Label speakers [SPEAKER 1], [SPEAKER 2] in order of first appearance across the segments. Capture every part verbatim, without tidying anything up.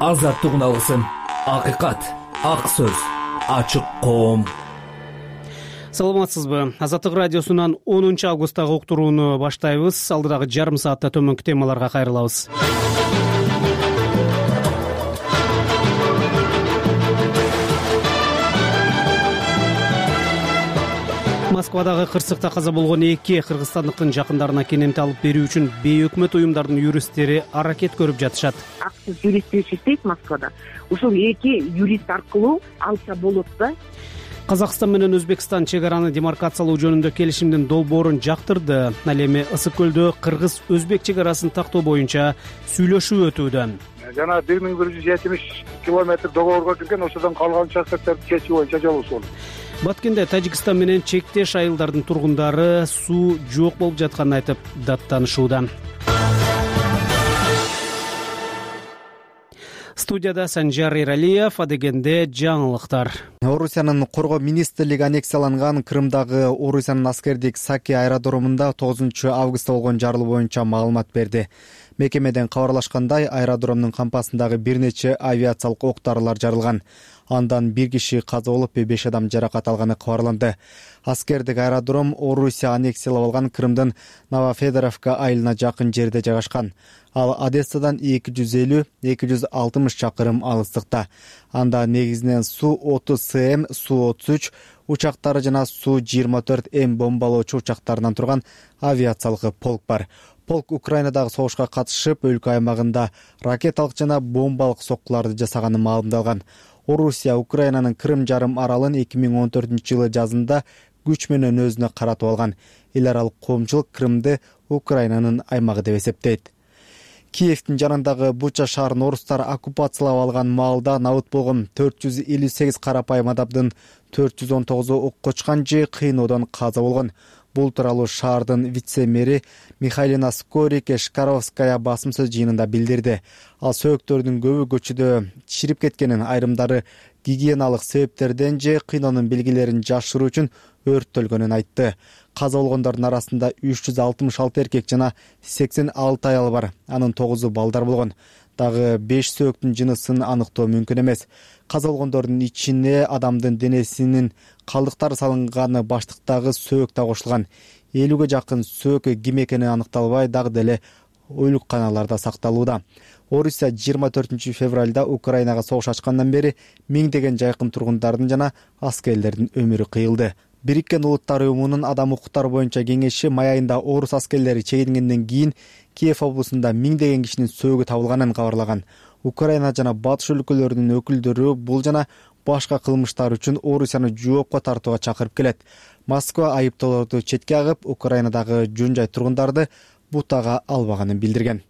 [SPEAKER 1] азаттык үналысын, акыйкат, ак сөз, ачык коом.
[SPEAKER 2] Саламатсызбы? Азаттык радиосунан онунчу августтагы уктурууну баштайбыз. Алдыдагы жарым саатта төмөнкү темаларга кайрылабыз. Москвадагы кырсыкта каза болгон эки кыргызстандыктын жакындарына кенемти алып берүү үчүн бейөкмөт уюмдардын юристтери аракет көрүп жатышат.
[SPEAKER 3] Аксыз юрист иштейт Москвада. Ушул эки юрист аркылуу алса болот да.
[SPEAKER 2] Казакстан менен Өзбекстан чек араны демаркациялоо жөнүндө келишимдин долбоорун жактырды. Ал эми Ысык көлдө кыргыз-өзбек чек арасын тактоо боюнча сүйлөшүү өтүүдө.
[SPEAKER 4] Жана бир миң бир жүз жетимиш километр договорго кирген, ошодон калган участокторду кесүү боюнча жолугушуу.
[SPEAKER 2] Баткенде Тажикстан менен чектеш айылдардын тургундары суу жок болуп жатканын айтып даттанышууда. Студияда Санжар Эралиев, адегенде жаңылыктар.
[SPEAKER 5] Орусиянын коргоо министрлиги аннексияланган Крымдагы Орусиянын аскердик Саки аэродромунда тогузунчу августта болгон жарылуу боюнча маалымат берди. Мекемеден кабарлашкандай, аэродромдун кампасындагы бир нече авиациялык ок-дарылар жарылган. Андан бир киши каза болуп, беш адам жаракат алганы кабарланды. Аскердик аэродром Орусия аннексиялап алган Крымдын Новофедоровка айылына жакын жерде жайгашкан. Ал Одессадан эки жүз элүү — эки жүз алтымыш чакырым алыстыкта. Анда негизинен Су отуз СМ, Су отуз үч учактары жана Су жыйырма төрт М бомбалоочу учактарынан турган авиациялык полк бар. Полк Украинадагы согушка катышып, өлкө аймагында ракеталык жана бомбалык соккуларды жасаганы маалымдалган. Орусия Украинанын Крым жарым аралын эки миң он төртүнчү жылы жазында күч менен өзүнө каратып алган. Эл аралык коомчулук Крымды Украинанын аймагы деп эсептейт. Киевдин жанындагы Буча шаарын орустар оккупациялап алган маалда набыт болгон төрт жүз элүү сегиз карапайым адамдын төрт жүз он тогузу окко учкан же кыйноодон каза болгон. Бул тууралуу шаардын вице-мэри Михайлина Скорике Шкаровская басым сөз жыйынында билдирди. Ал сөөктөрдүн көбү көчүдө чирип кеткенин, айрымдары гигиеналык себептерден же кыйноонун белгилерин жашыруу үчүн өрттөлгөнүн айтты. Каза болгондордун арасында үч жүз алтымыш алты эркек жана сексен алты аял бар. Анын тогузу балдар болгон. Дагы беш сөөктүн жынысын аныктоо мүмкүн эмес. Каза болгондордун ичине адамдын денесинин калдыктары салынганы баштыктагы сөөк да кошулган. элүүгө жакын сөөк ким экени аныкталбай, дагы деле ойлукканаларда сакталууда. Орусия жыйырма төртүнчү февралда Украинага согуш ачкандан бери миңдеген жайкын тургундардын жана аскерлердин өмүрү кыйылды. Бириккен Улуттар уюмунун адам укуктары боюнча кеңеши май айында орус аскерлери чегингенден кийин Киев облусунда миңдеген кишинин сөөгү табылганын кабарлаган. Украина жана батыш өлкөлөрүнүн өкүлдөрү бул жана башка кылмыштар үчүн Орусияны жоопко тартууга чакырып келет. Москва айыптоолорду четке агып, Украинадагы жөн жай тургундарды бутага албаганын билдирген.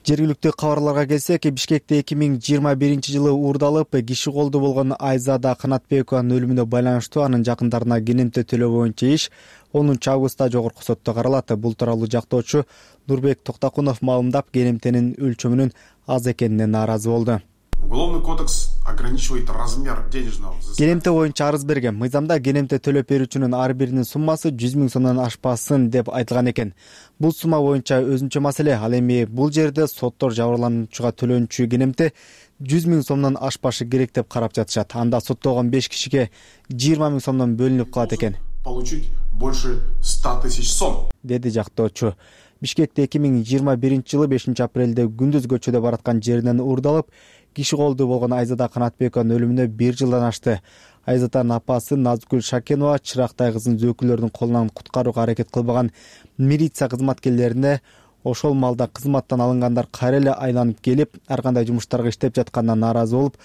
[SPEAKER 5] Жергиликтүү кабарларга келсек, Бишкекте эки миң жыйырма биринчи жылы уурдалып, киши колду болгон Айзада Канатбекованын өлүмүнө байланыштуу анын жакындарына кенемте төлөө боюнча иш онунчу августта жогорку сотто каралат. Бул тууралуу жактоочу Нурбек Токтакунов маалымдап, кенемтенин өлчөмүнүн аз экенине нааразы болду.
[SPEAKER 6] Уголовный кодекс ограничивает размер денежного взыскания.
[SPEAKER 5] Кенемте боюнча арыз берген. Мыйзамда кенемте төлөп берүүчүнүн ар биринин суммасы жүз миң сомдон ашпасын деп айтылган экен. Бул сумма боюнча өзүнчө маселе. Ал эми бул жерде соттор жабырлануучуга төлөнчү кенемте жүз миң сомдон ашпашы керек деп карап жатышат. Анда соттолгон беш кишиге жыйырма миң сомдон бөлүнүп калат экен.
[SPEAKER 6] Получить больше ста тысяч сом,
[SPEAKER 5] деди жактоочу. Бишкекте эки миң жыйырма биринчи жылы бешинчи апрелде күндүз көчөдө бараткан жеринен уурдалып, киши колду болгон Айзада Канатбекованын өлүмүнө бир жылдан ашты. Айзатанын апасы Назгүл Шакенова чырактай кызын өкүлдөрдүн колунан куткарууга аракет кылбаган милиция кызматкерлерине ошол маалда кызматтан алынгандар кайра эле айланып келип, ар кандай жумуштарга иштеп жатканынан нааразы болуп,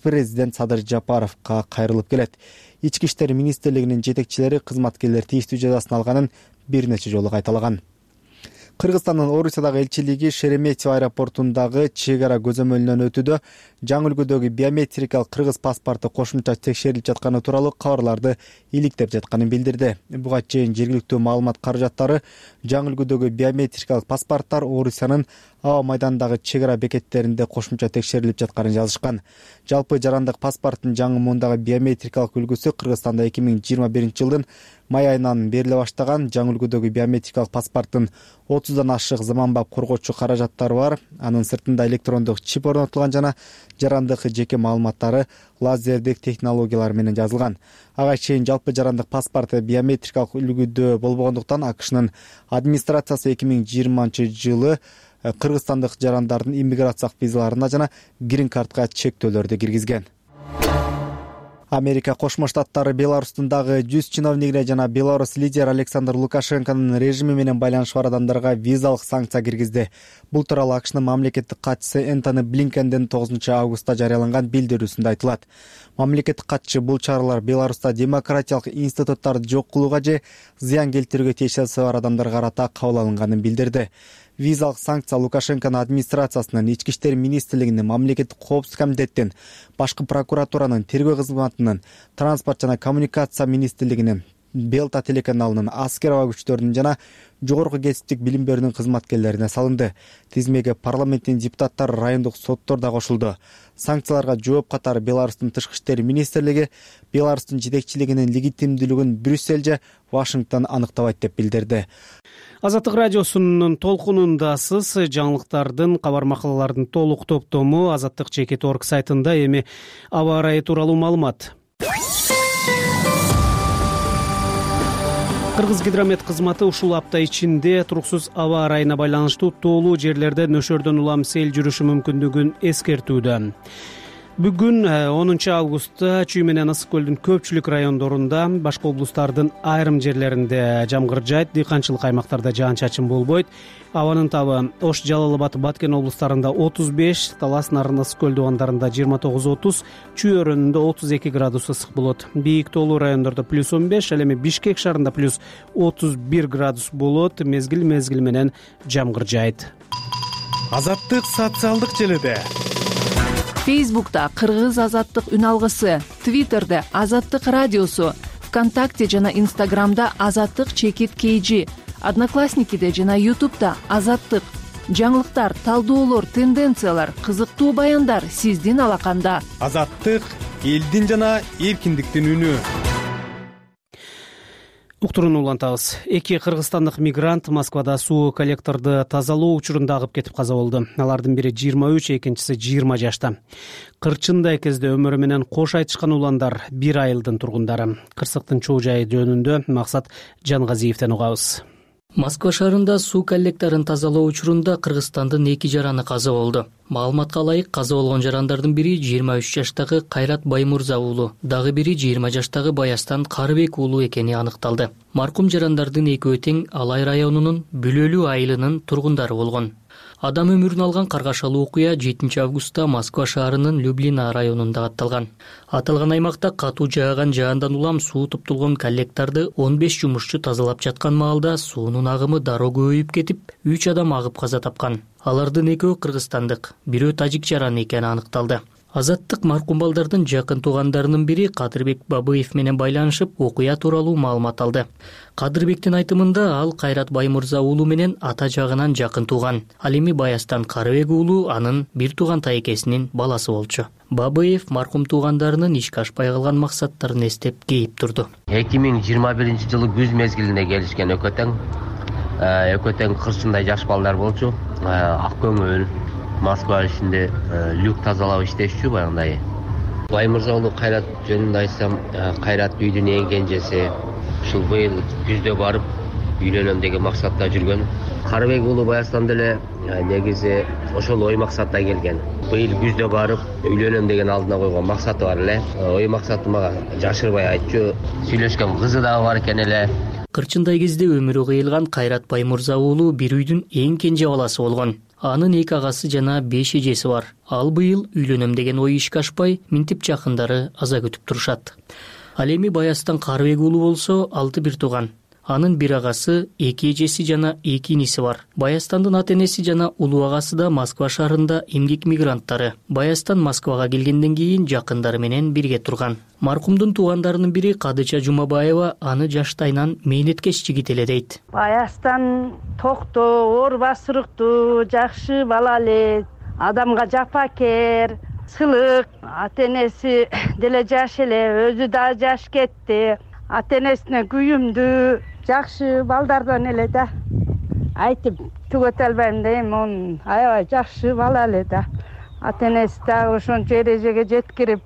[SPEAKER 5] президент Садыр Жапаровго кайрылып келет. Ички иштер министрлигинин жетекчилери кызматкерлер тийиштүү жазасын алганын бир нече жолу кайталаган. Кыргызстандын Орусиядагы элчилиги Шереметьево аэропортундагы чек ара көзөмөлүнөн өтүүдө жаңы үлгүдөгү биометрикалык кыргыз паспорту кошумча текшерилип жатканы тууралуу кабарларды иликтеп жатканын билдирди. Буга чейин жергиликтүү маалымат каражаттары жаңы үлгүдөгү биометрикалык паспорттор Орусиянын аба майданындагы чек ара бекеттеринде кошумча текшерилип жатканын жазышкан. Жалпы жарандык паспорттун жаңы муундагы биометрикалык үлгүсү Кыргызстанда эки миң жыйырма биринчи жылдын май айынан бериле баштаган. Жаңы үлгүдөгү биометрикалык паспорттун отуздан ашык заманбап коргоочу каражаттары бар. Анын сыртында электрондук чип орнотулган жана жарандык жеке маалыматтары лазердик технологиялар менен жазылган. Ага чейин жалпы жарандык паспорт биометрикалык үлгүдө болбогондуктан АКШнын администрациясы эки миң жыйырманчы жылы кыргызстандык жарандардын иммиграциялык визаларына жана грин картка чектөөлөрдү киргизген. Америка Кошмо Штаттары Беларустун дагы жүз чиновнигине жана Беларусь лидер Александр Лукашенконун режими менен байланышы бар адамдарга визалык санкция киргизди. Бул тууралуу АКШнын мамлекеттик катчысы Энтони Блинкендин тогузунчу августта жарыяланган билдирүүсүндө айтылат. Мамлекеттик катчы бул чаралар Беларуста демократиялык институттарды жок кылууга же зыян келтирүүгө тиешеси бар адамдарга карата кабыл алынганын билдирди. Визалык санкция Лукашенконун администрациясынын, Ички иштер министрлигинин, мамлекеттик коопсуздук комитеттин, башкы прокуратуранын, тергөө кызматынын, транспорт жана коммуникация министрлигинин, Белта телеканалынын, аскер аба күчтөрүнүн жана жогорку кесиптик билим берүүнүн кызматкерлерине салынды. Тизмеге парламенттин депутаттары, райондук соттор да кошулду. Санкцияларга жооп катары Беларустун тышкы иштер министрлиги Беларустун жетекчилигинин легитимдүүлүгүн Брюссель же Вашингтон аныктабайт деп билдирди.
[SPEAKER 2] Азаттык радиосунун толкунундасыз. Жаңылыктардын, кабар макалалардын толук топтому азаттык чекит точка орг сайтында. Эми аба ырайы тууралуу маалымат. Кыргыз гидромет кызматы ушул апта ичинде туруксуз аба ырайына байланыштуу тоолуу жерлерде нөшөрдөн улам сел жүрүшү мүмкүндүгүн эскертүүдө. Бүгүн онунчу августта Чүй менен Ысык көлдүн көпчүлүк райондорунда, башка облустардын айрым жерлеринде жамгыр жаайт, дыйканчылык аймактарда жаан-чачын болбойт. Абанын табы Ош, Жалал Абад, Баткен облустарында отуз беш, Талас, Нарын, Ысык көл дубандарында жыйырма тогуз отуз, Чүй өрөөнүндө отуз эки градус ысык болот. Бийик тоолуу райондордо плюс он беш, ал эми Бишкек шаарында плюс отуз бир градус болот. Мезгил мезгил менен жамгыр жаайт.
[SPEAKER 7] Азаттык социалдык желиде.
[SPEAKER 8] Фейсбукта Кыргыз азаттык үн алгысы, Твиттерде Азаттык радиосу, ВКонтакте жана Инстаграмда Азаттык чекит кейжи, Одноклассникиде жана Ютубда Азаттык. Жаңылыктар, талдоолор, тенденциялар, кызыктуу баяндар сиздин алаканда.
[SPEAKER 7] Азаттык элдин жана эркиндиктин үнү.
[SPEAKER 2] Уктуруну улантабыз. Эки кыргызстандык мигрант Москвада суу коллекторду тазалоо учурунда агып кетип каза болду. Алардын бири жыйырма үч, экинчиси жыйырма жашта. Кырчындай кезде өмүрү менен кош айтышкан уландар бир айылдын тургундары. Кырсыктын чоо жайы жөнүндө Максат Жангазиевден угабыз.
[SPEAKER 9] Москва шаарында суу коллекторун тазалоо учурунда Кыргызстандын эки жараны каза болду. Маалыматка ылайык, каза болгон жарандардын бири жыйырма үч жаштагы Кайрат Баймурза уулу, дагы бири жыйырма жаштагы Баястан Карыбек уулу экени аныкталды. Маркум жарандардын экөө тең Алай районунун Бүлөлүү айылынын тургундары болгон. Адам өмүрүн алган каргашалуу окуя жетинчи августта Москва шаарынын Люблина районунда катталган. Аталган аймакта катуу жааган жаандан улам суу туптулгон коллекторду он беш жумушчу тазалап жаткан маалда суунун агымы дароо көбөйүп кетип, үч адам агып каза тапкан. Алардын экөө кыргызстандык, бирөө тажик жараны экени аныкталды. Азаттык маркум балдардын жакын туугандарынын бири Кадырбек Бабыев менен байланышып, окуя тууралуу маалымат алды. Кадырбектин айтымында ал Кайрат Баймурза уулу менен ата жагынан жакын тууган. Ал эми Баястан Карыбек уулу анын бир тууган тайкесинин баласы болчу. Бабыев маркум туугандарынын ишке ашпай калган максаттарын эстеп кейип турду.
[SPEAKER 10] эки миң жыйырма биринчи жылы күз мезгилинде келишкен экөө тең. Экөө тең кырчындай жаш балдар болчу. Ак көңүл Москва ичинде люк тазалап иштешчү баягындай. Баймурза уулу Кайрат жөнүндө айтсам, Кайрат үйдүн эң кенжеси. Ушул быйыл күздө барып үйлөнөм деген максатта жүргөн. Карыбек уулу Баястан деле негизи ошол ой максатта келген. Быйыл күздө барып үйлөнөм деген алдына койгон максаты бар эле. Ой максаты мага жашырбай айтчу. Сүйлөшкөн кызы дагы бар экен эле.
[SPEAKER 9] Кырчындай кезде өмүрү кыйылган Кайрат Баймурза уулу бир үйдүн эң кенже баласы болгон. Анын эки агасы жана беш эжеси бар. Ал быйыл үйлөнөм деген ой ишке ашпай, минтип жакындары аза күтүп турушат. Ал эми Баястан Карыбек уулу болсо алты бир тууган. Анын бир агасы, эки эжеси жана эки иниси бар. Баястандын ата энеси жана улуу агасы да Москва шаарында эмгек мигранттары. Баястан Москвага келгенден кийин жакындары менен бирге турган. Маркумдун туугандарынын бири Кадыча Жумабаева аны жаштайынан мээнеткеч жигит эле дейт.
[SPEAKER 11] Баястан токтоо, оор басырыктуу, жакшы бала эле, адамга жапакер, сылык. Ата энеси деле жаш эле, өзү да жаш кетти. Ата энесине күйүмдүү, жакшы балдардан эле да. Айтып түгөтө албайм дейм, он аябай жакшы бала эле да. Ата энеси дагы ошончо эрежеге жеткирип,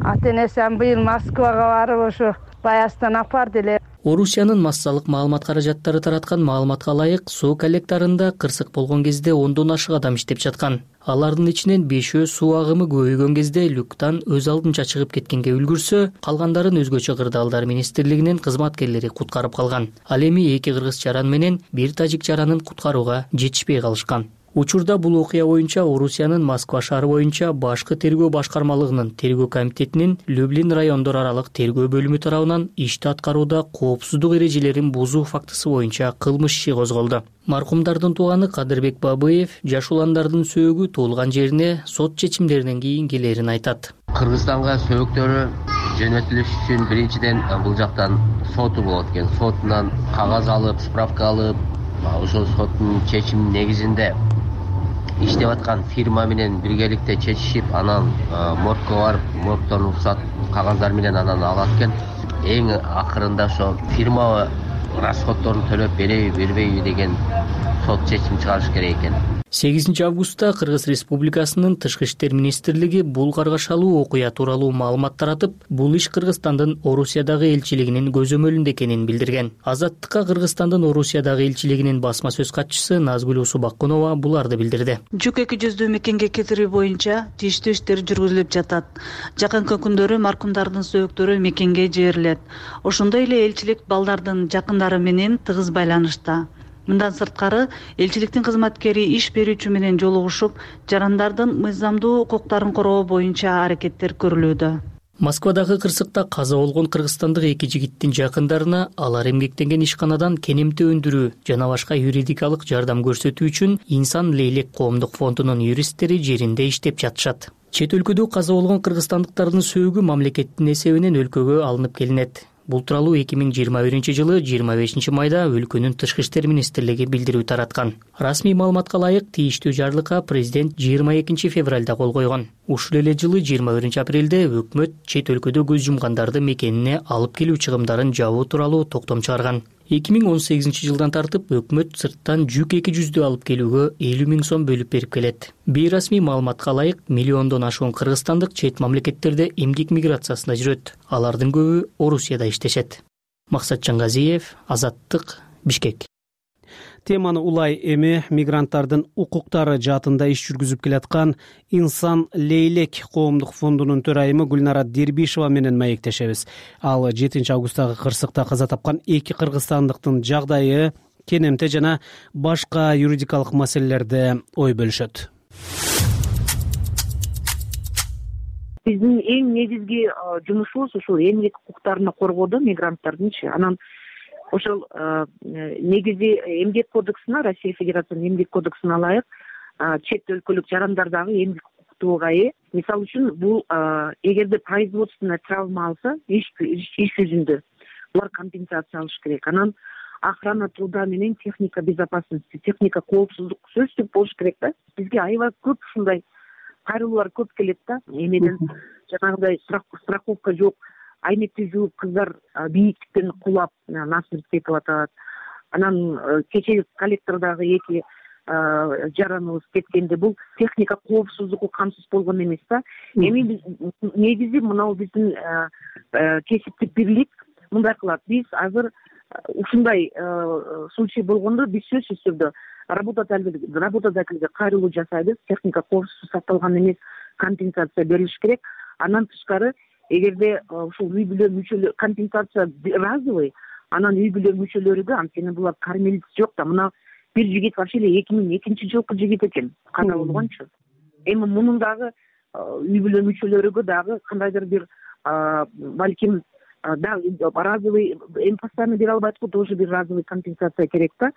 [SPEAKER 11] ата энеси быйыл Москвага барып ошо Баястан апарды эле.
[SPEAKER 9] Орусиянын массалык маалымат каражаттары тараткан маалыматка ылайык, суу коллекторунда кырсык болгон кезде ондон ашык адам иштеп жаткан. Алардын ичинен бешөө суу агымы көбөйгөн кезде люктан өз алдынча чыгып кеткенге үлгүрсө, калгандарын өзгөчө кырдаалдар министрлигинин кызматкерлери куткарып калган. Ал эми эки кыргыз чаран менен бир тажик чаранын куткарууга жетишпей калышкан. Учурда бул окуя боюнча Орусиянын Москва шаары боюнча башкы тергөө башкармалыгынын тергөө комитетинин Люблин райондор аралык тергөө бөлүмү тарабынан ишти аткарууда коопсуздук эрежелерин бузуу фактысы боюнча кылмыш иши козголду. Маркумдардын тууганы Кадырбек Бабыев жаш уландардын сөөгү туулган жерине сот чечимдеринен кийин келерин айтат.
[SPEAKER 10] Кыргызстанга сөөгүктөрү жөнөтүлүш үчүн биринчиден бул жактан соту болот экен. Сотунан кагаз алып, справка алып, ошол соттун чечиминин негизинде иштеп аткан фирма менен биргеликте чечишип, анан моргко барып, моргтон уруксат кагаздар менен анан алат экен. Эң акырында ошо фирма расходдорун төлөп береби, бербейби деген сот чечим чыгарыш керек экен.
[SPEAKER 9] сегизинчи августта Кыргыз Республикасынын Тышкы иштер министрлиги бул каргашалуу окуя тууралуу маалымат таратып, бул иш Кыргызстандын Орусиядагы элчилигинин көзөмөлүндө экенин билдирген. Азаттыкка Кыргызстандын Орусиядагы элчилигинин басма сөз катчысы Назгүл Усубакунова буларды билдирди.
[SPEAKER 12] Жүк эки жүздүү мекенге кетирүү боюнча тийиштүү иштер жүргүзүлүп жатат. Жакынкы күндөрү маркумдардын сөөгүктөрү мекенге жиберилет. Ошондой эле элчилик балдардын жакындары менен тыгыз байланышта. Мындан сырткары, элчиликтин кызматкери иш берүүчү менен жолугушуп, жарандардын мыйзамдуу укуктарын коргоо боюнча аракеттер көрүлүүдө.
[SPEAKER 9] Москвадагы кырсыкта каза болгон кыргызстандык эки жигиттин жакындарына алар эмгектенген ишканадан кенемте өндүрүү жана башка юридикалык жардам көрсөтүү үчүн Инсан Лейлек коомдук фондунун юристтери жеринде иштеп жатышат. Чет өлкөдө каза болгон кыргызстандыктардын сөөгү мамлекеттин эсебинен өлкөгө алынып келинет. Бул тууралуу эки миң жыйырма биринчи жылы жыйырма бешинчи майда өлкөнүн Тышкы иштер министрлиги билдирүү тараткан. Расмий маалыматка ылайык тийиштүү жарлыкка президент жыйырма экинчи февралда кол койгон. Ушул эле жылы жыйырма биринчи апрелде өкмөт чет өлкөдө көз жумгандарды мекенине алып келүү чыгымдарын жабуу тууралуу токтом чыгарган. эки миң он сегизинчи жылдан тартып өкмөт сырттан жүк эки жүздү алып келүүгө элүү миң сом бөлүп берип келет. Бейрасмий маалыматка ылайык миллиондон ашуун кыргызстандык чет мамлекеттерде эмгек миграциясында жүрөт. Алардын көбү Орусияда иштешет. Максат Жангазиев, Азаттык, Бишкек.
[SPEAKER 2] Теманы улай эми мигранттардын укуктары жаатында иш жүргүзүп келаткан Инсан Лейлек коомдук фондунун төрайымы Гүлнара Дербишева менен маектешебиз. Ал жетинчи августтагы кырсыкта каза тапкан эки кыргызстандыктын жагдайы, кенемте жана башка юридикалык маселелерде ой бөлүшөт.
[SPEAKER 3] Биздин эң негизги жумушубуз ушул эмгек укуктарын коргоодо мигранттардынчы. Анан ошол негизи эмгек кодексине, Россия Федерациянын эмгек кодексине ылайык, чет өлкөлүк жарандар дагы эмгек укуктууга ээ. Мисалы үчүн бул эгерде производственная травма алса, иш жүзүндө булар компенсация алыш керек. Анан охрана труда менен техника безопасности, техника коопсуздук сөзсүз болуш керек да. Бизге аябай көп ушундай кайрылуулар көп келет да. Эмеден жанагыдай страховка жок, айнекти жууп кыздар бийиктиктен кулап насмерть кетип атат. Анан кечээ коллектордогу эки жараныбыз кеткенде бул техника коопсуздугу камсыз болгон эмес да. Эми негизи мынау биздин кесиптик бирлик мындай кылат. Биз азыр ушундай случай болгондо биз сөзсүз түрдө работодательге кайрылуу жасайбыз. Техника коопсуз сакталган эмес, компенсация берилиш керек. Андан тышкары эгерде ушул үй бүлө мүчөлөр компенсация разовый, анан үй бүлө мүчөлөрүгө анткени булар кормилец жок да. Мына бир жигит вообще эле эки миң экинчи жылкы жигит экен, каза болгончу. Эми мунун дагы үй бүлө мүчөлөрүгө дагы кандайдыр бир балким дагы разовый эми постоянно бере албайт го, тоже бир разовый компенсация керек да.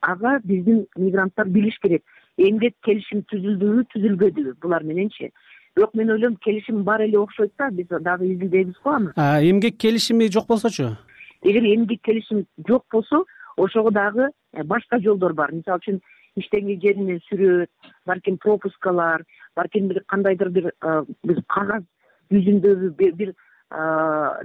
[SPEAKER 3] Ага биздин мигранттар билиш керек, эмгек келишим түзүлдүбү түзүлбөдүбү булар мененчи. Бирок мен ойлойм келишим бар эле окшойт да, биз дагы изилдейбиз го аны.
[SPEAKER 2] Эмгек келишими жок болсочу?
[SPEAKER 3] Эгер эмгек келишим жок болсо, ошого дагы башка жолдор бар. Мисалы үчүн иштеген жеринен сүрөт, балким пропускалар, балким бир кандайдыр бир бир кагаз жүзүндөгү бир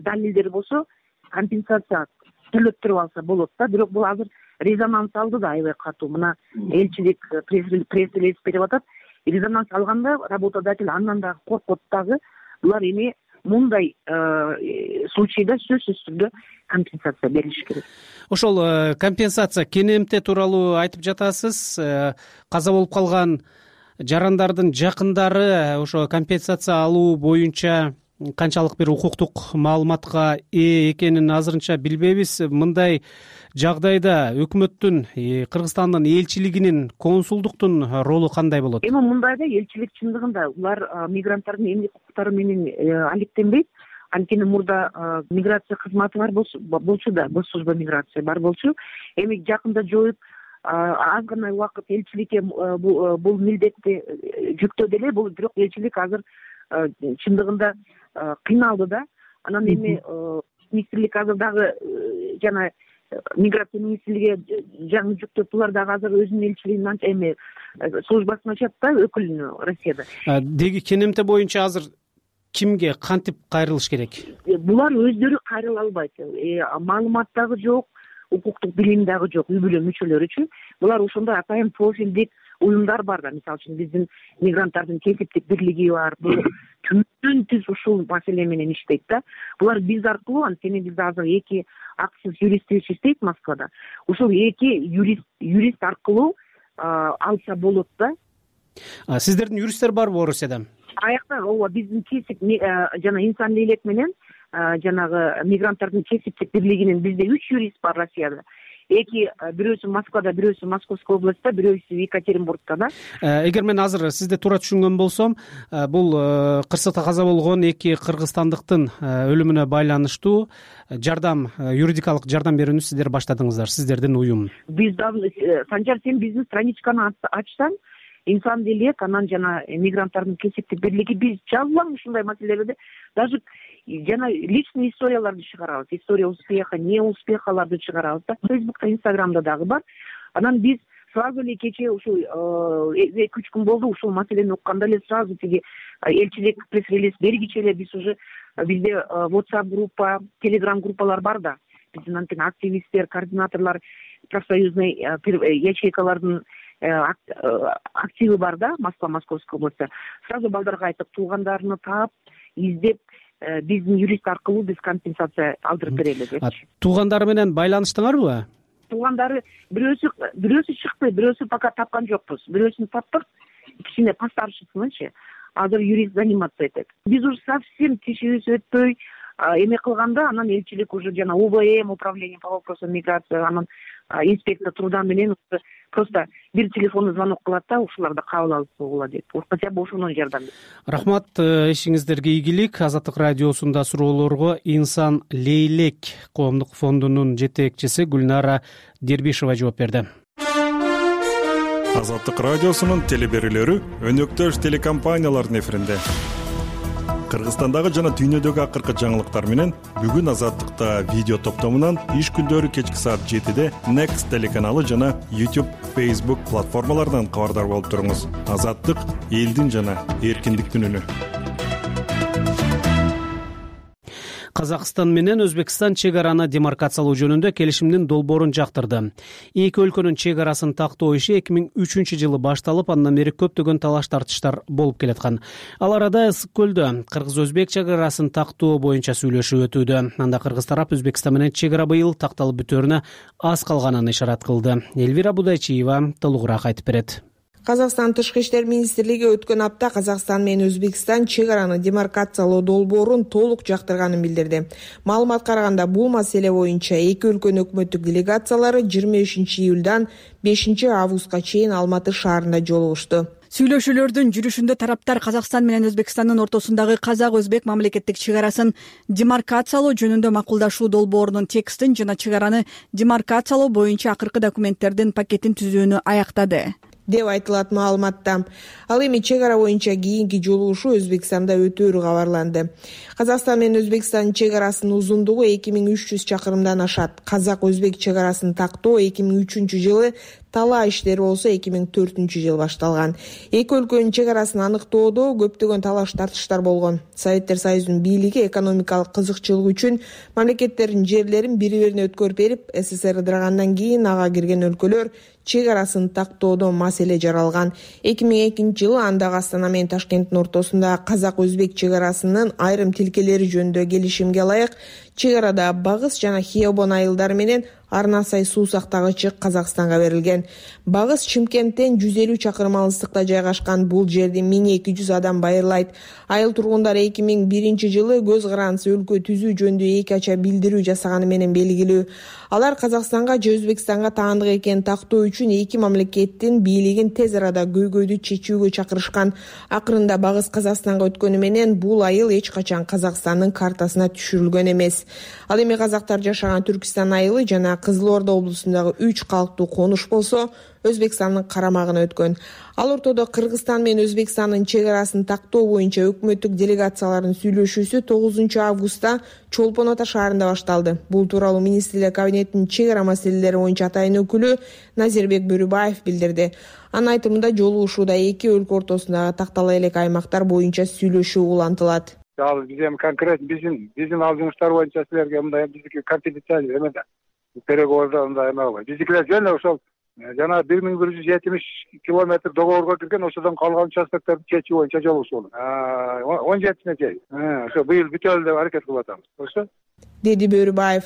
[SPEAKER 3] далилдер болсо, компенсация төлөп туруп алса болот да. Бирок бул азыр резонанс алды да аябай катуу. Мына элчилик пресс-релиз берип атат. Резонанс алганда работодатель андан дагы коркот дагы. Булар эми мындай случайда сөзсүз түрдө компенсация берилиш керек.
[SPEAKER 2] Ошол компенсация КНМТ тууралуу айтып жатасыз. Каза болуп калган жарандардын жакындары ошо компенсация алуу боюнча канчалык бир укуктук маалыматка ээ экенин азырынча билбейбиз. Мындай жагдайда өкмөттүн, Кыргызстандын элчилигинин, консулдуктун ролу кандай болот?
[SPEAKER 3] Эми мындайда элчилик чындыгында улар мигранттардын эмгек укуктары менен алектенбейт. Анткени мурда миграция кызматы бар болчу да, госслужба миграция бар болчу. Эми жакында жоюп аз гана убакыт элчиликке бул милдетти жүктөдү эле. Бул бирок элчилик азыр чындыгында кыйналды да. Анан эми министрлик азыр дагы жана миграция министрлиги жаңы жүктөп, булар дагы азыр өзүнүн элчилигин эми службасын ачат да, өкүлүнү Россияда.
[SPEAKER 2] Деги КНМТ боюнча азыр кимге кантип кайрылыш керек?
[SPEAKER 3] Булар өздөрү кайрыла албайт. Маалымат дагы жок, укуктук билим дагы жок үй бүлө мүчөлөрү үчүн. Булар ошондой атайын профилдик уюмдар бар да. Мисалы үчүн биздин мигранттардын кесиптик бирлиги бар. Бул түндүн түз ушул маселе менен иштейт да. Булар биз аркылуу, анткени бизде азыр эки аксыз юристибиз иштейт Москвада. Ушул эки юрист юрист аркылуу алса болот да.
[SPEAKER 2] Сиздердин юристтер барбы Орусияда?
[SPEAKER 3] Аякта ооба биздин кесип жана инсан элек менен жанагы мигранттардын кесиптик бирлигинин бизде үч юрист бар Россияда. Эки бирөөсү Москвада, бирөөсү Московской областта, бирөөсү Екатеринбургда да.
[SPEAKER 2] Эгер мен азыр сизди туура түшүнгөн болсом, бул кырсыкта каза болгон эки кыргызстандыктын өлүмүнө байланыштуу жардам, юридикалык жардам берүүнү сиздер баштадыңыздар, сиздердин уюм.
[SPEAKER 3] Биз дагы Санжар, сен биздин страничканы ачсаң, инсан делек, анан жана мигранттардын кесиптик бирлиги, биз жазылам ушундай маселелерде. Даже жана личный историяларды чыгарабыз. История успеха, не успехаларды чыгарабыз да. Фейсбукта, Инстаграмда дагы бар. Анан биз сразу эле кече ушул эки үч күн болду, ушул маселени укканда эле сразу тиги элчилик пресс-релиз бергиче эле биз уже бизде WhatsApp группа, Telegram группалар бар да. Биздин антен активисттер, координаторлор, профсоюзный ячейкалардын активы бар да, Москва, Московская областта. Сразу балдарга айтып, туугандарыны таап, издеп, биздин юрист аркылуу биз компенсация алдырып берели депчи.
[SPEAKER 2] Туугандары менен байланыштыңарбы?
[SPEAKER 3] Туугандары бирөөсү бирөөсү чыкты, бирөөсү пока тапкан жокпуз. Бирөөсүн таптык, кичине постаршысынычы. Азыр юрист заниматься этет. Биз уже совсем тишибиз өтпөй эме кылганда, анан элчилик уже жана УВМ, управление по вопросам миграции, анан инспектор труда менен просто бир телефондо звонок кылат да, ушуларды кабыл алып койгула деп. Хотя бы ошонун жардам.
[SPEAKER 2] Рахмат, ишиңиздерге ийгилик. Азаттык радиосунда суроолорго Инсан Лейлек коомдук фондунун жетекчиси Гүлнара Дербишева жооп берди.
[SPEAKER 13] Азаттык радиосунун телеберүүлөрү өнөктөш телекомпаниялардын эфиринде. Кыргызстандагы жана дүйнөдөгү акыркы жаңылыктар менен бүгүн Азаттыкта видео топтомунан иш күндөрү кечки саат жетиде Next телеканалы жана YouTube, Facebook платформаларынан кабардар болуп туруңуз. Азаттык — элдин жана эркиндиктин үнү.
[SPEAKER 2] Казакстан менен Өзбекстан чек араны демаркациялоо жөнүндө келишимдин долбоорун жактырды. Эки өлкөнүн чек арасын тактоо иши эки миң үчүнчү жылы башталып, андан бери көптөгөн талаш тартыштар болуп келаткан. Ал арада Ысык көлдө кыргыз-өзбек чек арасын тактоо боюнча сүйлөшүү өтүүдө. Анда кыргыз тарап Өзбекстан менен чек ара быйыл такталып бүтөөрүнө аз калганын ишарат кылды. Элвира Будайчиева толугураак айтып берет.
[SPEAKER 14] Казакстан Тышкы иштер министрлиги өткөн апта Казакстан менен Өзбекстан чек араны демаркациялоо долбоорун толук жактырганын билдирди. Маалыматка караганда, бул маселе боюнча эки өлкөнүн өкмөттүк делегациялары жыйырма бешинчи июлдан бешинчи августка чейин Алматы шаарында жолугушту.
[SPEAKER 15] Сүйлөшүүлөрдүн жүрүшүндө тараптар Казакстан менен Өзбекстандын ортосундагы казак-өзбек мамлекеттик чек арасын демаркациялоо жөнүндө макулдашуу долбоорунун текстин жана чек араны демаркациялоо боюнча акыркы документтердин пакетин түзүүнү аяктады
[SPEAKER 14] деп айтылат маалыматта. Ал эми чек ара боюнча кийинки жолугушуу Өзбекстанда өтөөрү кабарланды. Казакстан менен Өзбекстандын чек арасынын узундугу эки миң үч жүз чакырымдан ашат. Казак-өзбек чек арасын тактоо эки миң үчүнчү жылы, талаа иштери болсо эки миң төртүнчү жылы башталган. Эки өлкөнүн чек арасын аныктоодо көптөгөн талаш тартыштар болгон. Советтер Союзунун бийлиги экономикалык кызыкчылык үчүн мамлекеттердин жерлерин бири-бирине өткөрүп берип, СССР ыдырагандан кийин ага кирген өлкөлөр чек арасын тактоодо маселе жаралган. эки миң экинчи жылы андагы Астана менен Ташкенттин ортосунда казак-өзбек чек арасынын айрым тилкелери жөнүндө келишимге ылайык чек арада Багыс жана Хиобон айылдары менен Арнасай суу сактагычы Казакстанга берилген. Багыс Чымкенттен жүз элүү чакырым алыстыкта жайгашкан. Бул жерди миң эки жүз адам байырлайт. Айыл тургундары эки миң биринчи жылы көз карандысы өлкө түзүү жөнүндө эки ача билдирүү жасаганы менен белгилүү. Алар Казакстанга же Өзбекстанга таандык экенин тактоо үчүн эки мамлекеттин бийлигин тез арада көйгөйдү чечүүгө чакырышкан. Акырында Багыс Казакстанга өткөнү менен бул айыл эч качан Казакстандын картасына түшүрүлгөн эмес. Ал эми казактар жашаган Түркистан айылы жана Кызыл Орда облусундагы үч калктуу конуш болсо Өзбекстандын карамагына өткөн. Ал ортодо Кыргызстан менен Өзбекстандын чек арасын тактоо боюнча өкмөттүк делегациялардын сүйлөшүүсү тогузунчу августта Чолпон Ата шаарында башталды. Бул тууралуу министрлер кабинетинин чек ара маселелери боюнча атайын өкүлү Назирбек Бөрүбаев билдирди. Анын айтымында жолугушууда эки өлкө ортосундагы тактала элек аймактар боюнча сүйлөшүү улантылат.
[SPEAKER 4] Ал биз эми конкретно биздин биздин ал жумуштар боюнча силерге мындай биздики конфиденциальный эме да. Переговорда мындай эме болбойт. Биздикилер жөн ошол жана бир миң бир жүз жетимиш километр договорго кирген, ошодон калган участокторду чечүү боюнча жолугушуу болот. он жетисине чейин. Ошо быйыл бүтөлү деп аракет кылып атабыз. Ошо
[SPEAKER 14] деди Бөрүбаев.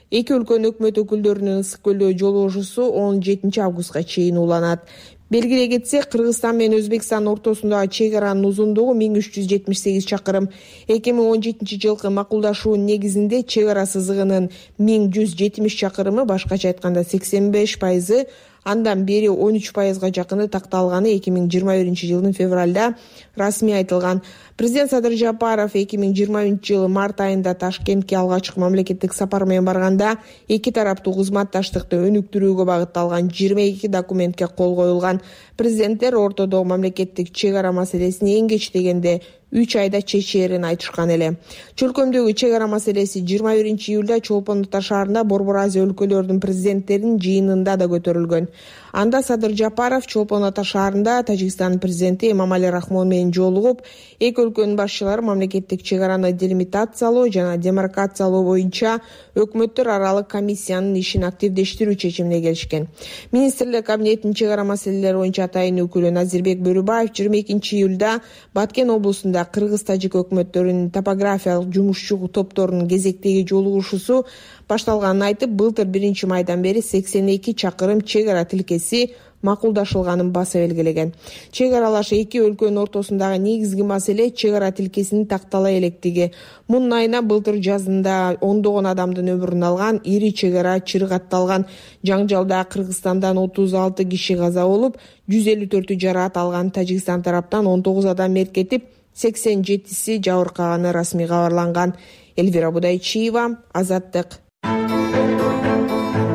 [SPEAKER 14] Эки өлкөнүн өкмөт өкүлдөрүнүн ысык көлдөгү жолугушуусу он жетинчи августка чейин уланат. Белгилей кетсек, Кыргызстан менен Өзбекстандын ортосундагы чек аранын узундугу миң үч жүз жетимиш сегиз чакырым. эки миң он жетинчи жылкы макулдашуунун негизинде чек ара сызыгынын миң жүз жетимиш чакырымы, башкача айтканда сексен беш пайызы, андан бери он үч пайызга жакыны такталганы эки миң жыйырма биринчи жылдын февралда расмий айтылган. Президент Садыр Жапаров эки миң жыйырма үчүнчү жылы март айында Ташкентке алгачкы мамлекеттик сапар менен барганда эки тараптуу кызматташтыкты өнүктүрүүгө багытталган жыйырма эки документке кол коюлган. Президенттер ортодогу мамлекеттик чек ара маселесин эң кеч дегенде үч айда чечээрин айтышкан эле. Чөлкөмдөгү чек ара маселеси жыйырма биринчи июлда Чолпон Ата шаарында Борбор Азия өлкөлөрүнүн президенттеринин жыйынында да көтөрүлгөн. Анда Садыр Жапаров Чолпон Ата шаарында Тажикстандын президенти Эмомали Рахмон менен жолугуп, эки өлкөнүн башчылары мамлекеттик чек араны делимитациялоо жана демаркациялоо боюнча өкмөттөр аралык комиссиянын ишин активдештирүү чечимине келишкен. Министрлер кабинетинин чек ара маселелери боюнча атайын өкүлү Назирбек Бөрүбаев жыйырма экинчи июлда Баткен облусунда кыргыз-тажик өкмөттөрүнүн топографиялык жумушчу топторунун кезектеги жолугушуусу башталганын айтып, былтыр биринчи майдан бери сексен эки чакырым чек ара тилкеси макулдашылганын баса белгилеген. Чек аралаш эки өлкөнүн ортосундагы негизги маселе чек ара тилкесинин тактала электиги. Мунун айына былтыр жазында ондогон адамдын өмүрүн алган ири чек ара чыргатталган. Жаңжалда Кыргызстандан отуз алты киши каза болуп, жүз элүү төртү жараат алган. Тажикстан тараптан он тогуз адам мерт кетип, сексен жетиси жабыркаганы расмий кабарланган. Эльвира Будайчиева, Азаттык.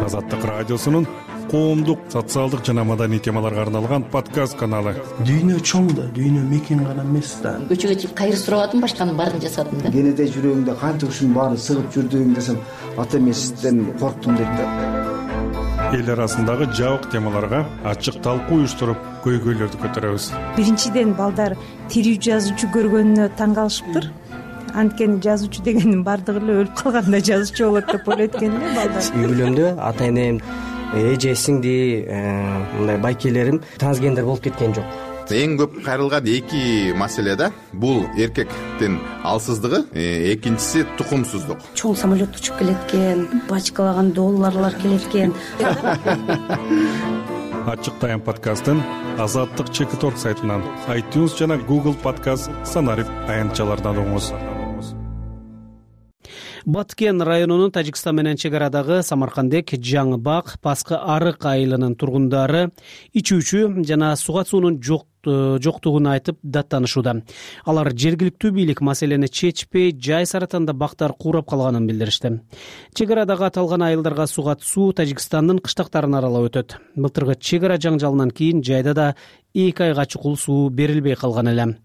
[SPEAKER 13] Азаттык радиосунун коомдук, социалдык жана маданий темаларга арналган подкаст каналы.
[SPEAKER 16] Дүйнө чоң да, дүйнө мекен гана эмес да.
[SPEAKER 17] Көчөгө чыгып кайыр сурабадым, башканын баарын жасадым да.
[SPEAKER 16] Кенеде жүрөгүңдө канча ушунун баары сыгып жүрдүң десем, ата эмесизден корктум дейт да.
[SPEAKER 13] Эл арасындагы жабык темаларга ачык талкуу уюштуруп, көйгөйлөрдү көтөрөбүз.
[SPEAKER 18] Биринчиден балдар тирүү жазуучу көргөнүнө таң калышыптыр. Анткени жазуучу дегендин бардыгы эле өлүп калганда жазуучу болот деп ойлойт экен эле балдар.
[SPEAKER 19] Үй бүлөмдө ата энем, эже сиңди, мындай байкелерим трансгендер болуп кеткен жок.
[SPEAKER 20] Эң көп кайрылган эки маселе да. Бул эркектин алсыздыгы, экинчиси тукумсуздук.
[SPEAKER 21] Чоң самолет учуп келет экен, бачкалаган долларлар келет экен.
[SPEAKER 13] Ачык тайм подкастын Азаттык чек торг сайтынан, iTunes жана Google подкаст санарип аянтчалардан угуңуз.
[SPEAKER 2] Баткен районунун Тажикстан менен чек арадагы Самаркандек, Жаңыбак, Паскы Арык айылынын тургундары ичүүчү жана суга суунун жок жоктугун айтып даттанышууда. Алар жергиликтүү бийлик маселени чечпей, жай саратанда бактар куурап калганын билдиришти. Чек арадагы аталган айылдарга сугат суу Тажикстандын кыштактарын аралап өтөт. Былтыркы чек ара жаңжалынан кийин жайда да эки айга чукул суу берилбей калган эле.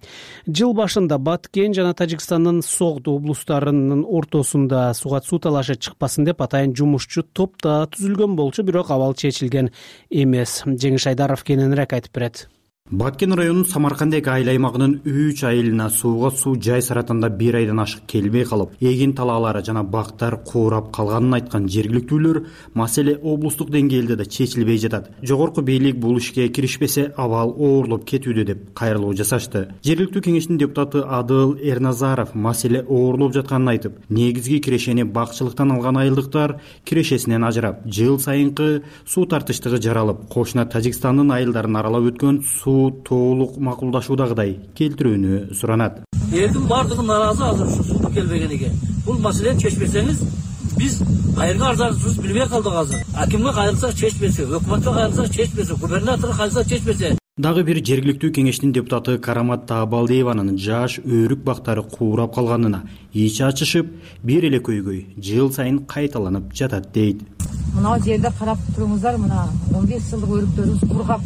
[SPEAKER 2] Жыл башында Баткен жана Тажикстандын Согд облустарынын ортосунда сугат суу талашы чыкпасын деп атайын жумушчу топ да түзүлгөн болчу, бирок абал чечилген эмес. Жеңиш Айдаров кененирээк айтып берет.
[SPEAKER 1] Баткен районунун Самаркандек айыл аймагынын үч айылына сууга суу жай саратанда бир айдан ашык келбей калып, эгин талаалары жана бактар куурап калганын айткан жергиликтүүлөр маселе облустук деңгээлде да чечилбей жатат. Жогорку бийлик бул ишке киришпесе абал оорлоп кетүүдө деп кайрылуу жасашты. Жергиликтүү кеңештин депутаты Адыл Эрназаров маселе оорлоп жатканын айтып, негизги кирешени бакчылыктан алган айылдыктар кирешесинен ажырап, жыл сайынкы суу тартыштыгы жаралып, кошуна Тажикстандын айылдарын аралап өткөн суу толук макулдашуудагыдай келтирүүнү суранат.
[SPEAKER 22] Элдин бардыгы нааразы азыр ушу суу келбегениге. Бул маселени чечпесеңиз, биз кайерге арзаныбызды билбей калдык азыр. Акимге кайрылсак чечпесе, өкмөткө кайрылсак чечпесе, губернаторго кайрылсак чечпесе.
[SPEAKER 1] Дагы бир жергиликтүү кеңештин депутаты Карамат Таабалдиеванын жаш өрүк бактары куурап калганына ич ачышып, бир эле көйгөй жыл сайын кайталанып жатат дейт.
[SPEAKER 23] Мына жерде карап туруңуздар, мына он беш жылдык өрүктөрүбүз кургап.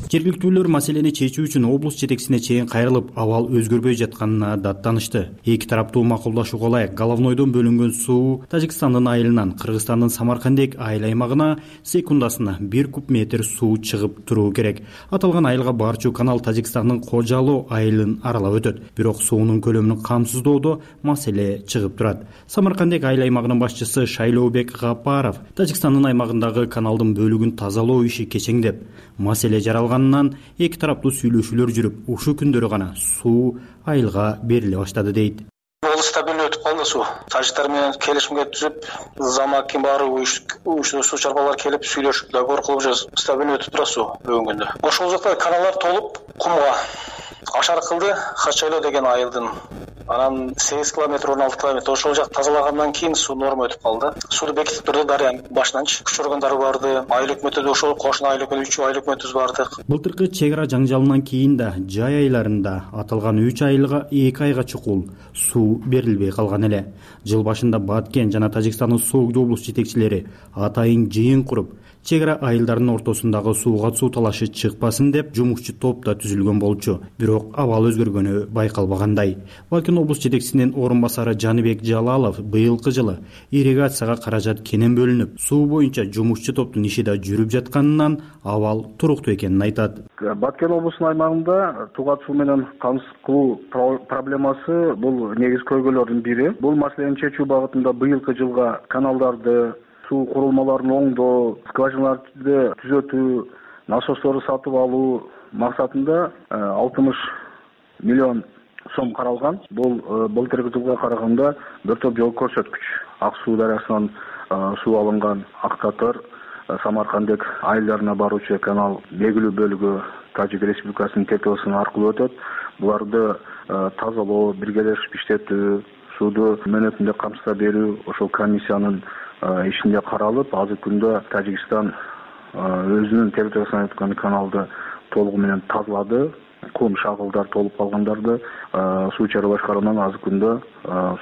[SPEAKER 1] Жергиликтүүлөр маселени чечүү үчүн облус жетекчисине чейин кайрылып, абал өзгөрбөй жатканына даттанышты. Эки тараптуу макулдашууга ылайык Головнойдон бөлүнгөн суу Тажикстандын айылынан Кыргызстандын Самаркандек айыл аймагына секундасына бир куб метр суу чыгып туруу керек. Аталган айылга барчу канал Тажикстандын Кожалоо айылын аралап өтөт. Бирок суунун көлөмүн камсыздоодо маселе чыгып турат. Самаркандек айыл аймагынын башчысы Шайлообек Гапаров Тажикстандын аймагындагы каналдын бөлүгүн тазалоо иши кечеңдеп, маселе жаралган эки тараптуу сүйлөшүүлөр жүрүп, ушу күндөрү гана суу айылга бериле баштады дейт.
[SPEAKER 24] Ол стабилдүү өтүп калды суу. Тажиктар менен келишимге түзүп, замакин баары уюштуу суу чарбалар келип сүйлөшүп, договор кылып жүрөбүз. Стабилдүү өтүп турат суу бүгүнгү күндө. Ошол жакта каналдар толуп, кумга ашар кылды, Хачайлоо деген айылдын. Анан сегиз километр, он алты километр ошол жак тазалагандан кийин суу норма өтүп калды. Сууну бекитип турду дарыянын башынанчы. Күч органдары барды, айыл өкмөтү да ошол кошуна айыл өкмөтү, үч айыл өкмөтүбүз барды.
[SPEAKER 1] Былтыркы чек ара жаңжалынан кийин да жай айларында аталган үч айылга эки айга чукул суу берилбей калган эле. Жыл башында Баткен жана Тажикстандын Согд облус жетекчилери атайын жыйын куруп, чек ара айылдарынын ортосундагы сууга суу талашы чыкпасын деп жумушчу топ да түзүлгөн болчу. Бирок абал өзгөргөнү байкалбагандай. Баткен облус жетекчисинин орун басары Жаныбек Жалалов быйылкы жылы ирригацияга каражат кенен бөлүнүп, суу боюнча жумушчу топтун иши да жүрүп жатканынан абал туруктуу экенин айтат.
[SPEAKER 25] Баткен облусунун аймагында тугат суу менен камсыз кылуу проблемасы бул негизги көйгөйлөрдүн бири. Бул маселени чечүү багытында быйылкы жылга каналдарды, суу курулмаларын оңдоо, скважиналарды түзөтүү, насосторду сатып алуу максатында алтымыш миллион сом каралган. Бул былтыркы жылга караганда бир топ жол көрсөткүч. Ак суу дарыясынан суу алынган Ак Татар, Самаркандек айылдарына баруучу канал белгилүү бөлүгү Тажик Республикасынын территориясы аркылуу өтөт. Буларды тазалоо, биргелешип иштетүү, сууду мөөнөтүндө камсыза берүү ошол комиссиянын ишинде каралып, азыркы күндө Тажикстан өзүнүн территориясынан өткөн каналды толугу менен тазалады. Кум шагылдар толуп калгандарды суу чарба башкарууунан азыркы күндө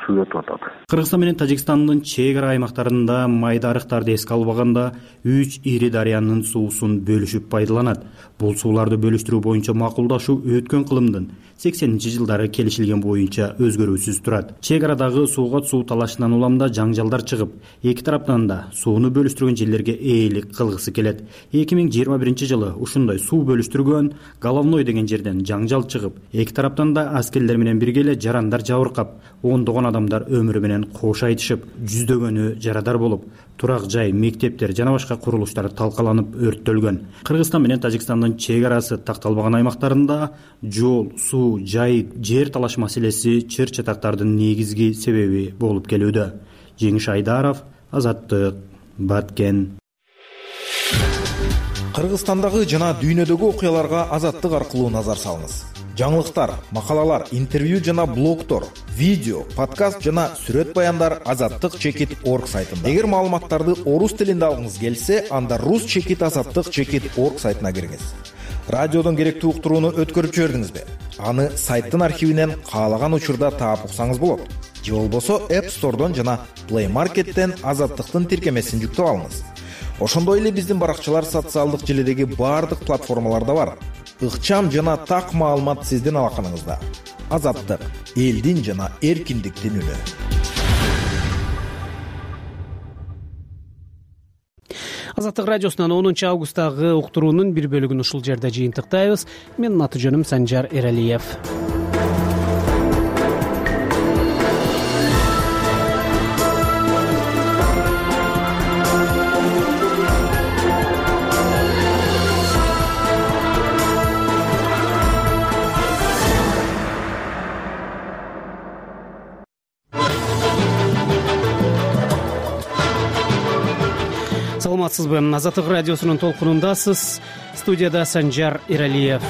[SPEAKER 25] суу өтүп атат.
[SPEAKER 1] Кыргызстан менен Тажикстандын чек ара аймактарында майда арыктарды эске албаганда үч ири дарыянын суусун бөлүшүп пайдаланат. Бул сууларды бөлүштүрүү боюнча макулдашуу өткөн кылымдын сексенинчи жылдары келишилген боюнча өзгөрүүсүз турат. Чек арадагы сууга суу талашынан уламда жаңжалдар чыгып, эки тараптан да сууну бөлүштүргөн жерлерге ээлик кылгысы келет. эки миң жыйырма биринчи жылы ушундай суу бөлүштүргөн Головной деген жерден жаңжал чыгып, эки тараптан да аскерлер менен бирге эле жарандар жабыркап, ондогон адамдар өмүрү менен кош айтышып, жүздөгөнү жарадар болуп, турак жай, мектептер жана башка курулуштар талкаланып өрттөлгөн. Кыргызстан менен Тажикстандын чек арасы такталбаган аймактарында жол, суу, жай, жер талаш маселеси чыр чатактардын негизги себеби болуп келүүдө. Жеңиш Айдаров, Азаттык, Баткен.
[SPEAKER 26] Кыргызстандагы жана дүйнөдөгү окуяларга Азаттык аркылуу назар салыңыз. Жаңылыктар, макалалар, интервью жана блогтор, видео, подкаст жана сүрөт баяндар азаттык чекит точка орг сайтында. Эгер маалыматтарды орус тилинде алгыңыз келсе, анда рус чекит азаттык чекит точка орг сайтына киріңиз. Радиодон керектүү уктурууну өткөрүп жибердиңизби? Аны сайттын архивинен каалаган учурда таап уксаңыз болот. Же болбосо App Store'дон жана Play Market'тен Азаттыктын тиркемесин жүктөп алыңыз. Ошондой эле биздин баракчалар социалдык желидеги баардык платформаларда бар. Ыкчам жана так маалымат сиздин алаканыңызда. Азаттык — элдин жана эркиндиктин үнү.
[SPEAKER 2] Азаттык радиосунан онунчу августтагы уктуруунун бир бөлүгүн ушул жерде жыйынтыктайбыз. Менин аты жөнүм Санжар Эралиев. Саламатсызбы? Азаттык радиосунун толкунундасыз. Студияда Санжар Эралиев.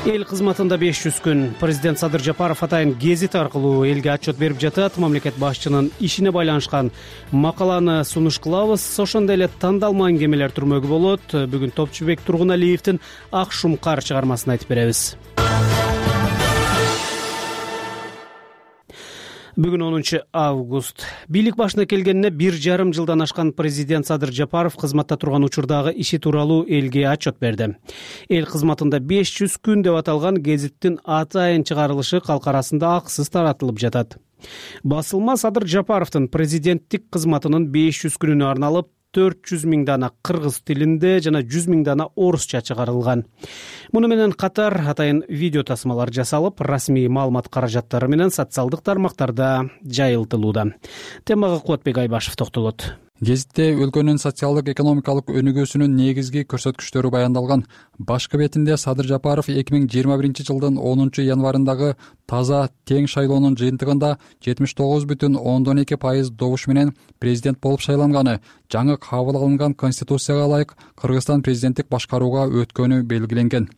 [SPEAKER 2] Эл кызматында беш жүз күн. Президент Садыр Жапаров атайын гезит аркылуу элге отчет берип жатат. Мамлекет башчынын ишине байланышкан макаланы сунуш кылабыз. Ошондой эле тандалма аңгемелер түрмөгү болот. Бүгүн Топчубек Тургуналиевдин Ак Шумкар чыгармасын айтып беребиз. Бүгүн онунчу август. Бийлик башына келгенине бир жарым жылдан ашкан президент Садыр Жапаров кызматта турган учурдагы иши тууралуу элге отчет берди. Эл кызматында беш жүз күн деп аталган гезиттин атайын чыгарылышы калк арасында акысыз таратылып жатат. Басылма Садыр Жапаровдун президенттик кызматынын беш жүз күнүнө арналып төрт жүз миң дана кыргыз тилинде жана жүз миң дана орусча чыгарылган. Муну менен катар атайын видео тасмалар жасалып, расмий маалымат каражаттары менен социалдык тармактарда жайылтылууда. Темага Кубатбек Айбашев токтолот.
[SPEAKER 5] Гезитте өлкөнүн социалдык экономикалык өнүгүүсүнүн негизги көрсөткүчтөрү баяндалган. Башкы бетинде Садыр Жапаров эки миң жыйырма биринчи жылдын онунчу январындагы таза тең шайлоонун жыйынтыгында жетимиш тогуз бүтүн ондон эки пайыз добуш менен президент болуп шайланганы, жаңы кабыл алынган конституцияга ылайык Кыргызстан президенттик башкарууга өткөнү белгиленген.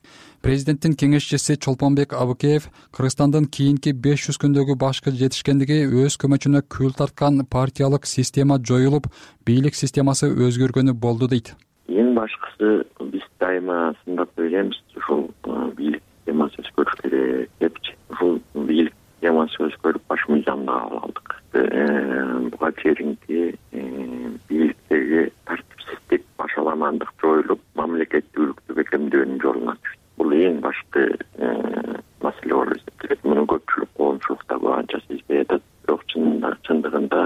[SPEAKER 5] Президенттин кеңешчиси Чолпонбек Абыкеев Кыргызстандын кийинки беш жүз күндөгү башкы жетишкендиги өз көмөчүнө күл тарткан партиялык система жоюлуп, бийлик системасы өзгөргөнү болду дейт.
[SPEAKER 6] Эң башкысы биз дайыма сындап ойлойбуз, ушул бийлик системасы өзгөрүш керек депчи. Ушул бийлик системасы өзгөрүп баш мыйзамды кабыл алдык. Буга чейинки бийликтеги тартипсиздик, башаламандык жоюлуп, мамлекеттүүлүктү бекемдөөнүн жолуна түштү. Бул эң башкы маселе болуп эсептелет. Муну көпчүлүк коомчулукта анча сезбей атат. Бирок чындыгында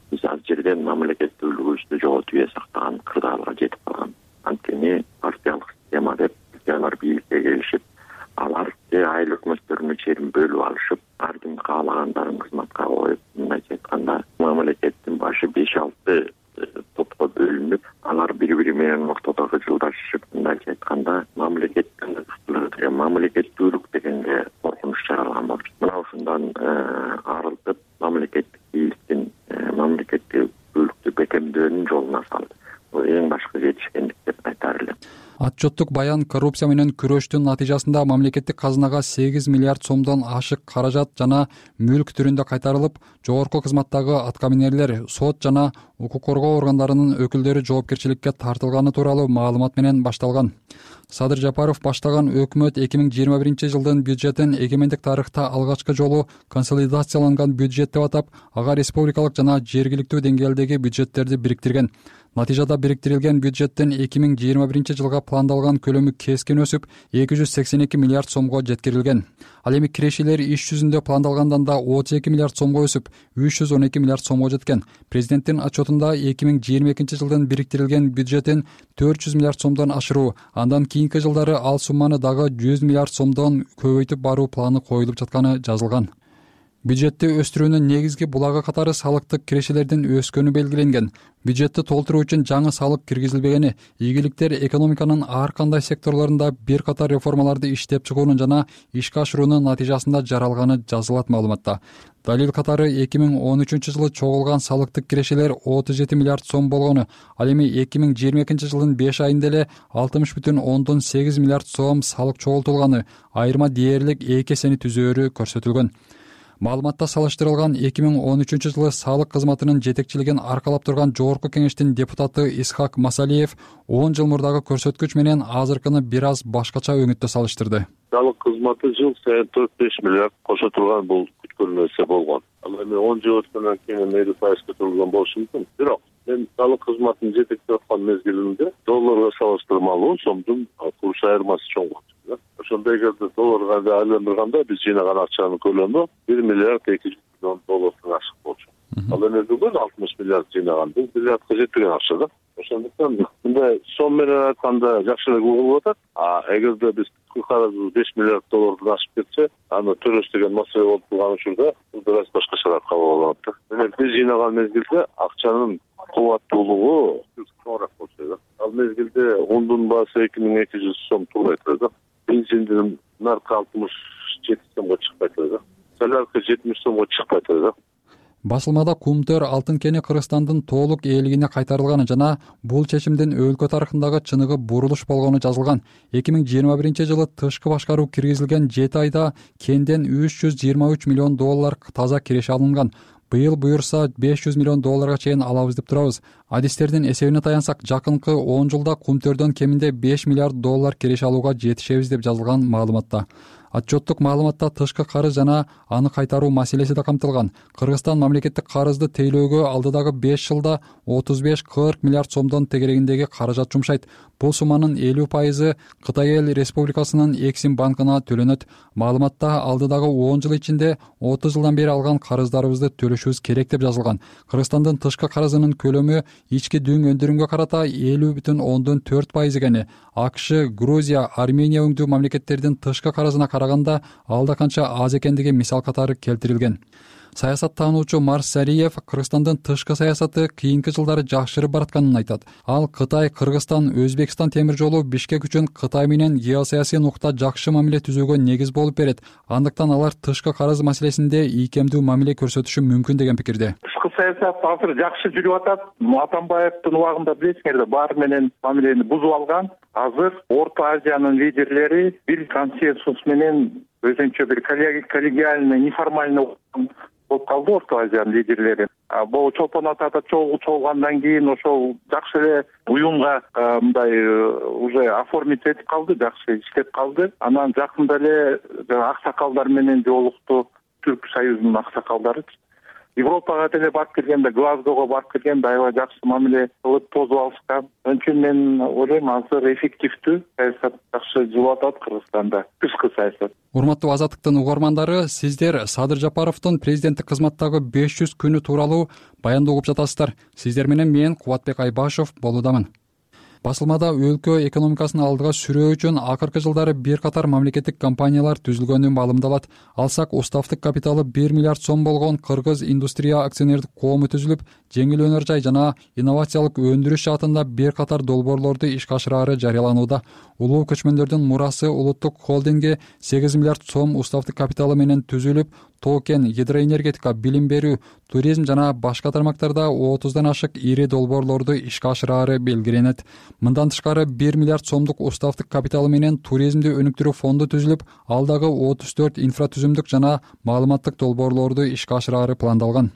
[SPEAKER 6] биз ал жерден мамлекеттүүлүгүбүздү жоготуп ээ сактаган кырдаалга жетип калган. Анткени партиялык система деп алар бийликке келишип, алар айыл өкмөттөрүнүн жерин бөлүп алышып, ар ким каалагандарын кызматка коюп, мындайча айтканда мамлекеттин башы беш алты топко бөлүнүп, алар бири-бири менен ортодо жылдашышып, мындайча айтканда мамлекеттин деген мамлекеттүүлүк дегенге коркунуч жаралган болчу. Мына ушундан арылтып, мамлекеттик бийликтин мамлекеттүүлүктү бекемдөөнүн жолуна салды. Бул эң башкы жетишкендик деп айтар элем.
[SPEAKER 5] Отчеттук баян коррупция менен күрөштүн натыйжасында мамлекеттик казынага сегиз миллиард сомдон ашык каражат жана мүлк түрүндө кайтарылып, жогорку кызматтагы аткаминерлер, сот жана укук коргоо органдарынын өкүлдөрү жоопкерчиликке тартылганы тууралуу маалымат менен башталган. Садыр Жапаров баштаган өкмөт эки миң жыйырма биринчи жылдын бюджетин эгемендик тарыхта алгачкы жолу консолидацияланган бюджет деп атап, ага республикалык жана жергиликтүү деңгээлдеги бюджеттерди бириктирген. Натыйжада бириктирилген бюджеттин эки миң жыйырма биринчи жылга пландалган көлөмү кескин өсүп, эки жүз сексен эки миллиард сомго жеткирилген. Ал эми кирешелер иш жүзүндө пландалгандан да отуз эки миллиард сомго өсүп, үч жүз он эки миллиард сомго жеткен. Президенттин отчетунда эки миң жыйырма экинчи жылдын бириктирилген бюджетин төрт жүз миллиард сомдон ашыруу, андан кийинки жылдары ал сумманы дагы жүз миллиард сомдон көбөйтүп баруу планы коюлуп жатканы жазылган. Бюджетти өстүрүүнүн негизги булагы катары салыктык кирешелердин өскөнү белгиленген. Бюджетти толтуруу үчүн жаңы салык киргизилбегени, ийгиликтер экономиканын ар кандай секторлорунда бир катар реформаларды иштеп чыгуунун жана ишке ашыруунун натыйжасында жаралганы жазылат маалыматта. Далил катары эки миң он үчүнчү жылы чогулган салыктык кирешелер отуз жети миллиард сом болгону, ал эми эки миң жыйырма экинчи жылдын беш айында эле алтымыш бүтүн ондон сегиз миллиард сом салык чогултулганы, айырма дээрлик эки эсени түзөөрү көрсөтүлгөн. Маалыматта салыштырылган эки миң он үчүнчү жылы салык кызматынын жетекчилигин аркалап турган жогорку кеңештин депутаты Исхак Масалиев он жыл мурдагы көрсөткүч менен азыркыны бир аз башкача өңүттө салыштырды.
[SPEAKER 7] Салык кызматы жыл сайын төрт беш миллиард кошо турган бул күткөн нерсе болгон. Ал эми он жыл өткөндөн кийин элүү пайыз көтөрүлгөн болушу мүмкүн. Бирок мен салык кызматын жетектеп аткан мезгилинде долларга салыштырмалуу сомдун курс айырмасы чоң болчу. Ошондой кезде долларга айландырганда биз жыйнаган акчанын көлөмү бир миллиард эки жүз миллион доллардан ашык болчу. Ал эми бүгүн алтымыш миллиард жыйнаган, бул миллиардка жетпеген акча да. Ошондуктан мындай сом менен айтканда жакшыраак угулуп атат. А эгерде биз карызыбыз беш миллиард доллардан ашып кетсе, аны төлөш деген маселе болуп турган учурда бул бир аз башкачараак кабыл алынат да. Демек биз жыйнаган мезгилде акчанын кубаттуулугу чоңураак болчу да. Ал мезгилде ундун баасы эки миң эки жүз сом турбайт да. Бензиндин наркы алтымыш жети сомго чыкпайт да. Солярка жетимиш сомго чыкпайт да.
[SPEAKER 5] Басылмада Кумтөр алтын кени Кыргызстандын толук ээлигине кайтарылганы жана бул чечимдин өлкө тарыхындагы чыныгы бурулуш болгону жазылган. эки миң жыйырма биринчи жылы тышкы башкаруу киргизилген жети айда кенден үч жүз жыйырма үч миллион доллар таза киреше алынган. Быйыл буюрса беш жүз миллион долларга чейин алабыз деп турабыз. Адистердин эсебине таянсак, жакынкы он жылда Кумтөрдөн кеминде беш миллиард доллар киреше алууга жетишебиз деп жазылган маалыматта. Отчеттук маалыматта тышкы карыз жана аны кайтаруу маселеси да камтылган. Кыргызстан мамлекеттик карызды тейлөөгө алдыдагы беш жылда отуз беш кырк миллиард сомдон тегерегиндеги каражат жумшайт. Бул сумманын элүү пайызы Кытай Эл Республикасынын Эксим банкына төлөнөт. Маалыматта алдыдагы он жыл ичинде отуз жылдан бери алган карыздарыбызды төлөшүбүз керек деп жазылган. Кыргызстандын тышкы карызынын көлөмү ички дүң өндүрүмгө карата элүү бүтүн ондон төрт пайыз экени. АКШ, Грузия, Армения өңдүү мамлекеттердин тышкы карызына караганда алда канча аз экендиги мисал катары келтирилген. Саясаттануучу Марс Сариев Кыргызстандын тышкы саясаты кийинки жылдары жакшырып баратканын айтат. Ал Кытай, Кыргызстан, Өзбекстан темир жолу Бишкек үчүн Кытай менен геосаясий нукта жакшы мамиле түзүүгө негиз болуп берет. Андыктан алар тышкы карыз маселесинде ийкемдүү мамиле көрсөтүшү мүмкүн деген пикирде.
[SPEAKER 8] Тышкы саясат азыр жакшы жүрүп атат. Атамбаевдин убагында билесиңерби, баары менен мамилени бузуп алган. Азыр Орто Азиянын лидерлери бир консенсус менен өзүнчө бир коллегиальный, неформальный болуп калды Орто Азиянын лидерлери. Бул Чолпон Атада чогулгандан кийин ошол жакшы эле уюмга мындай уже оформить этип калды, жакшы иштеп калды. Анан жакында эле аксакалдар менен жолукту, Түрк союзунун аксакалдары. Европага деле барып келгенде, Глазгого барып келгенде аябай жакшы мамиле кылып тосуп алышкан. Ошон үчүн мен ойлойм, азыр эффективдүү саясат жакшы жүрүп атат Кыргызстанда, тышкы саясат.
[SPEAKER 5] Урматтуу Азаттыктын угармандары, сиздер Садыр Жапаровдун президенттик кызматтагы беш жүз күнү тууралуу баянды угуп жатасыздар. Сиздер менен мен Кубатбек Айбашев болуудамын. Басылмада өлкө экономикасын алдыга сүрөө үчүн акыркы жылдары бир катар мамлекеттик компаниялар түзүлгөнү маалымдалат. Алсак, уставдык капиталы бир миллиард сом болгон Кыргыз индустрия акционердик коому түзүлүп, жеңил өнөр жай жана инновациялык өндүрүш жаатында бир катар долбоорлорду ишке ашырары жарыяланууда. Улуу көчмөндөрдүн мурасы улуттук холдинги сегиз миллиард сом уставдык капиталы менен түзүлүп, токен, гидроэнергетика, билим берүү, туризм жана башка тармактарда отуздан ашык ири долбоорлорду ишке ашырары белгиленет. Мындан тышкары бир миллиард сомдук уставдык капиталы менен туризмди өнүктүрүү фонду түзүлүп, алдагы отуз төрт инфратүзүмдүк жана маалыматтык долбоорлорду ишке ашырары пландалган.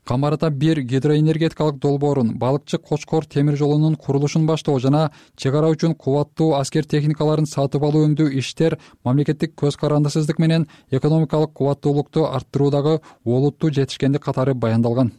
[SPEAKER 5] Камарата бир гидроэнергетикалык долбоорун, балыкчы Кочкор темир жолунун курулушун баштоо жана чек ара үчүн кубаттуу аскер техникаларын сатып алуу өңдүү иштер мамлекеттик көз карандысыздык менен экономикалык кубаттуулукту арттыруудагы олуттуу жетишкендик катары баяндалган.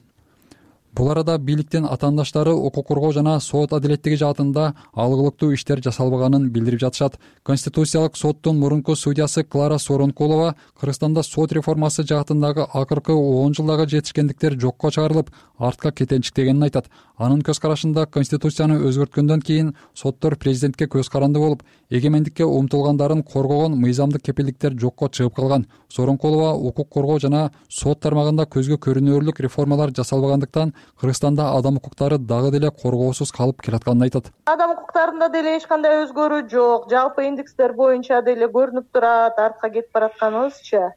[SPEAKER 5] Бул арада бийликтин атаандаштары укук коргоо жана сот адилеттиги жаатында алгылыктуу иштер жасалбаганын билдирип жатышат. Конституциялык соттун мурунку судьясы Клара Соронкулова Кыргызстанда сот реформасы жаатындагы акыркы он жылдагы жетишкендиктер жокко чыгарылып, артка кетенчиктегенин айтат. Анын көз карашында Конституцияны өзгөрткөндөн кийин соттор президентке көз каранды болуп, эгемендикке умтулгандарын коргогон мыйзамдык кепилдиктер жокко чыгып калган. Соронкулова укук коргоо жана сот тармагында көзгө көрүнөрлүк реформалар жасалбагандыктан Кыргызстанда адам укуктары дагы деле коргоосуз калып келатканын айтат.
[SPEAKER 9] Адам укуктарында деле эч кандай өзгөрүү жок. Жалпы индекстер боюнча деле көрүнүп турат, артка кетип баратканыбызчы.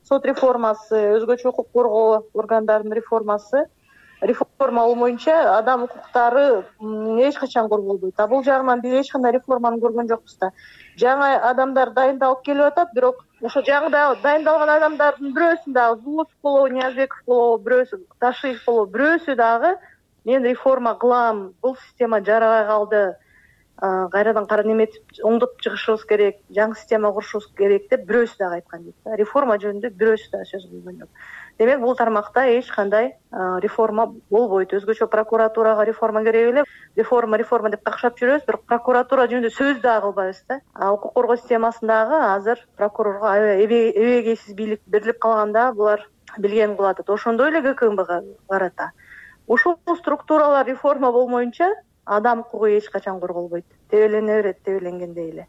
[SPEAKER 9] Сот реформасы, өзгөчө укук коргоо органдарынын реформасы реформа болмоюнча адам укуктары эч качан корголбойт. А бул жагынан биз эч кандай реформаны көргөн жокпуз да. Жаңы адамдар дайындалып келип атат, бирок ошо жаңы дайындалган адамдардын бирөөсү дагы Зулусов болобу, Ниязбеков болобу, бирөөсү Ташиев болобу, бирөөсү дагы мен реформа кылам, бул система жарабай калды, кайрадан кара неметип оңдоп чыгышыбыз керек, жаңы система курушубуз керек деп бирөөсү дагы айткан жок да. Реформа жөнүндө бирөөсү дагы сөз кылган жок. Демек бул тармакта эч кандай реформа болбойт. Өзгөчө прокуратурага реформа керек эле. Реформа реформа деп какшап жүрөбүз, бирок прокуратура жөнүндө сөз дагы кылбайбыз да. А укук коргоо системасындагы азыр прокурорго эбегейсиз бийлик берилип калганда булар билген кылып атат. Ошондой эле ГКМБга карата ушул структуралар реформа болмоюнча адам укугу эч качан корголбойт. Тебелене берет, тебеленгендей эле.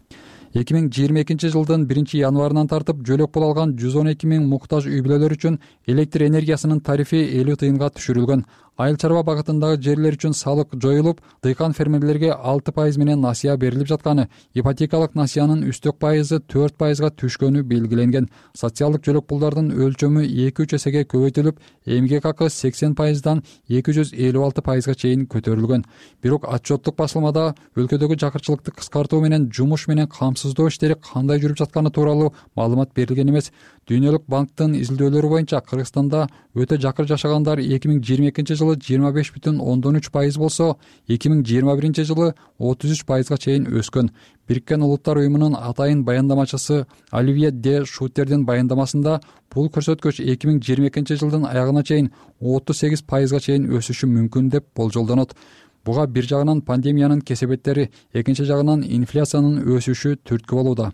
[SPEAKER 5] эки миң жыйырма экинчи жылдын биринчи январынан тартып жөлөк боло алган жүз он эки миң муктаж үй бүлөлөр үчүн электр энергиясынын тарифи элүү тыйынга түшүрүлгөн. Айыл чарба багытындагы жерлер үчүн салык жоюлуп, дыйкан фермерлерге алты пайыз менен насыя берилип жатканы, ипотекалык насыянын үстөк пайызы төрт пайызга түшкөнү белгиленген. Социалдык жөлөк пулдардын өлчөмү эки үч эсеге көбөйтүлүп, эмгек акы сексен пайыздан эки жүз элүү алты пайызга чейин көтөрүлгөн. Бирок отчеттук басылмада өлкөдөгү жакырчылыкты кыскартуу менен жумуш менен камсыздоо иштери кандай жүрүп жатканы тууралуу маалымат берилген эмес. Дүйнөлүк банктын изилдөөлөрү боюнча Кыргызстанда өтө жакыр жашагандар эки миң жыйырма экинчи жылы жыйырма беш бүтүн ондон үч пайыз болсо, эки миң жыйырма биринчи жылы отуз үч пайызга чейин өскөн. Бириккен Улуттар уюмунун атайын баяндамачысы Оливье де Шутердин баяндамасында бул көрсөткүч эки миң жыйырма экинчи жылдын аягына чейин отуз сегиз пайызга чейин өсүшү мүмкүн деп болжолдонот. Буга бир жагынан пандемиянын кесепеттери, экинчи жагынан инфляциянын өсүшү түрткү болууда.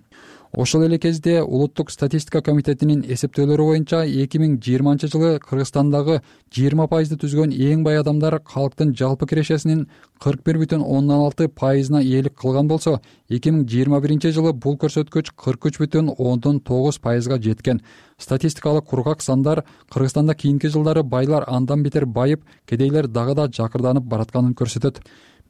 [SPEAKER 5] Ошол эле кезде Улуттук статистика комитетинин эсептөөлөрү боюнча эки миң жыйырманчы жылы Кыргызстандагы жыйырма пайызды түзгөн эң бай адамдар калктын жалпы кирешесинин кырк бир бүтүн ондон алты пайызына ээлик кылган болсо, эки миң жыйырма биринчи жылы бул көрсөткүч кырк үч бүтүн ондон тогуз пайызга жеткен. Статистикалык кургак сандар Кыргызстанда кийинки жылдары байлар андан бетер байып, кедейлер дагы да жакырданып баратканын көрсөтөт.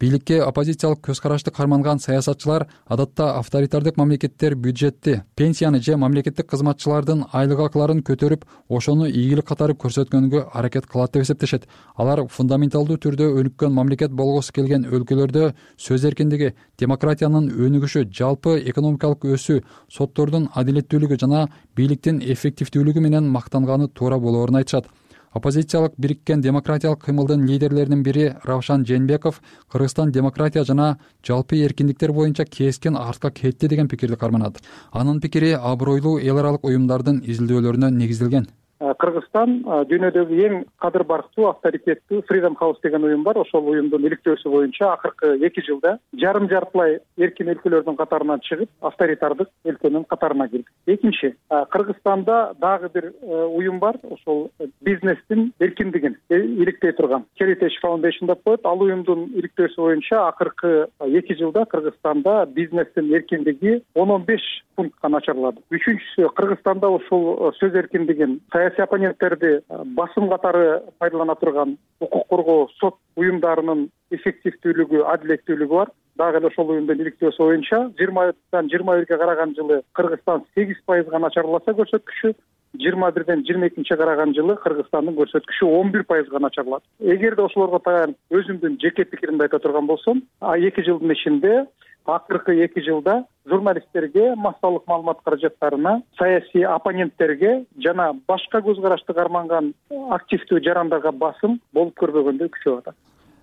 [SPEAKER 5] Бийликке оппозициялык көз карашты карманган саясатчылар адатта авторитардык мамлекеттер бюджетти, пенсияны же мамлекеттик кызматчылардын айлык акыларын көтөрүп, ошону ийгилик катары көрсөткөнгө аракет кылат деп эсептешет. Алар фундаменталдуу түрдө өнүккөн мамлекет болгусу келген өлкөлөрдө сөз эркиндиги, демократиянын өнүгүшү, жалпы экономикалык өсүү, соттордун адилеттүүлүгү жана бийликтин эффективдүүлүгү менен мактанганы туура болоорун айтышат. Оппозициялык бириккен демократиялык кыймылдын лидерлеринин бири Равшан Жээнбеков Кыргызстан демократия жана жалпы эркиндиктер боюнча кескен артка кетти деген пикирди карманат. Анын пикири абройлуу эл аралык уюмдардын изилдөөлөрүнө негизделген.
[SPEAKER 3] Кыргызстан дүйнөдөгү эң кадыр барктуу, авторитеттүү Freedom House деген уюм бар. Ошол уюмдун иликтөөсү боюнча акыркы эки жылда жарым жартылай эркин өлкөлөрдүн катарынан чыгып, авторитардык өлкөнүн катарына кирди. Экинчи, Кыргызстанда дагы бир уюм бар. Ошол бизнестин эркиндигин иликтей турган Heritage Foundation деп коет. Ал уюмдун иликтөөсү боюнча акыркы эки жылда Кыргызстанда бизнестин эркиндиги ондон беш пунктка начарлады. Үчүнчүсү, Кыргызстанда ушул сөз эркиндигин саясий оппоненттерди басым катары пайдалана турган укук коргоо сот уюмдарынын эффективдүүлүгү, адилеттүүлүгү бар. Дагы эле ошол уюмдун иликтөөсү боюнча жыйырмадан жыйырма бирге караган жылы Кыргызстан сегиз пайызга начарласа көрсөткүчү, жыйырма бирден жыйырма экинчиге караган жылы Кыргызстандын көрсөткүчү он бир пайызга начарлады. Эгерде ошолорго таянып өзүмдүн жеке пикиримди айта турган болсом, эки жылдын ичинде акыркы эки жылда журналисттерге, массалык маалымат каражаттарына, саясий оппоненттерге жана башка көз карашты карманган активдүү жарандарга басым болуп көрбөгөндөй күчөп атат.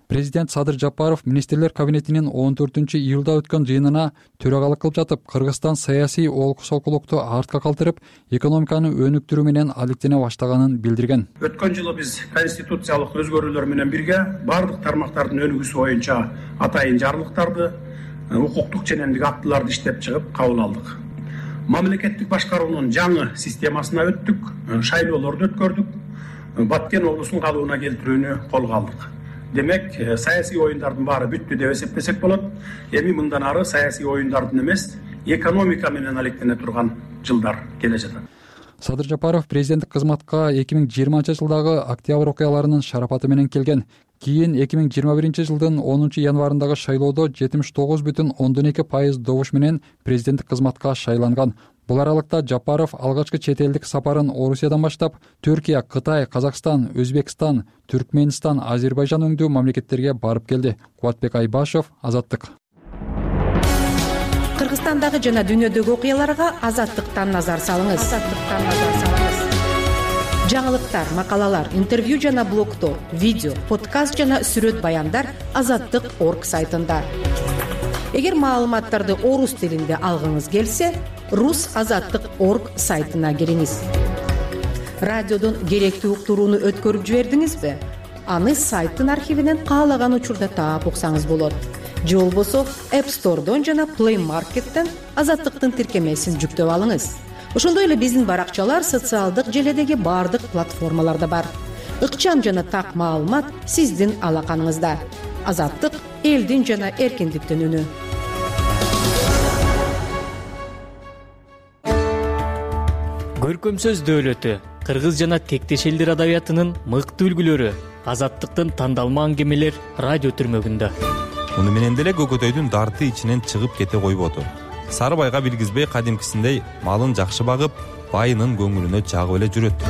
[SPEAKER 5] Президент Садыр Жапаров министрлер кабинетинин он төртүнчү июлда өткөн жыйынына төрагалык кылып жатып, Кыргызстан саясий олкусолкулукту артка калтырып, экономиканы өнүктүрүү менен алектене баштаганын билдирген.
[SPEAKER 4] Өткөн жылы биз конституциялык өзгөрүүлөр менен бирге бардык тармактардын өнүгүүсү боюнча атайын жарлыктарды, укуктук ченемдик актыларды иштеп чыгып кабыл алдык. Мамлекеттик башкаруунун жаңы системасына өттүк, шайлоолорду өткөрдүк, Баткен облусун калыбына келтирүүнү колго алдык. Демек, саясий оюндардын баары бүттү деп эсептесек болот. Эми мындан ары саясий оюндардын эмес, экономика менен алектене турган жылдар келе жатат.
[SPEAKER 5] Садыр Жапаров президенттик кызматка эки миң жыйырманчы жылдагы октябрь окуяларынын шарапаты менен келген. Кийин эки миң жыйырма биринчи жылдын онунчу январындагы шайлоодо жетимиш тогуз бүтүн ондон эки пайыз добуш менен президенттик кызматка шайланган. Бул аралыкта Жапаров алгачкы чет элдик сапарын Орусиядан баштап Түркия, Кытай, Казакстан, Өзбекстан, Түркмөнстан, Азербайжан өңдүү мамлекеттерге барып келди. Кубатбек Айбашев, Азаттык.
[SPEAKER 10] Кыргызстандагы жана дүйнөдөгү окуяларга Азаттыктан назар салыңыз. Азаттыктан назар салыңыз. Жаңылыктар, макалалар, интервью жана блогтор, видео, подкаст жана сүрөт баяндар азаттык точка орг сайтында. Эгер маалыматтарды орус тилинде алгыңыз келсе, рус азаттык точка орг сайтына кириңиз. Радиодон керектүү уктурууну өткөрүп жибердиңизби? Аны сайттын архивинен каалаган учурда таап уксаңыз болот. Же болбосо App Store'дон жана Play Market'тен азаттыктын тиркемесин жүктөп алыңыз. Ошондой эле биздин баракчалар социалдык желедеги бардык платформаларда бар. Ыкчам жана так маалымат сиздин алаканыңызда. Азаттык элдин жана эркиндиктин үнү.
[SPEAKER 11] Көркөм сөз дөөлөтү, кыргыз жана тектеш элдер адабиятынын мыкты үлгүлөрү, азаттыктын тандалма аңгемелер радио түрмөгүндө.
[SPEAKER 12] Муну менен деле көкөтөйдүн дарты ичинен чыгып кете койбоду. Сарыбайга билгизбей кадимкисиндей малын жакшы багып, байынын көңүлүнө жагып эле жүрөт.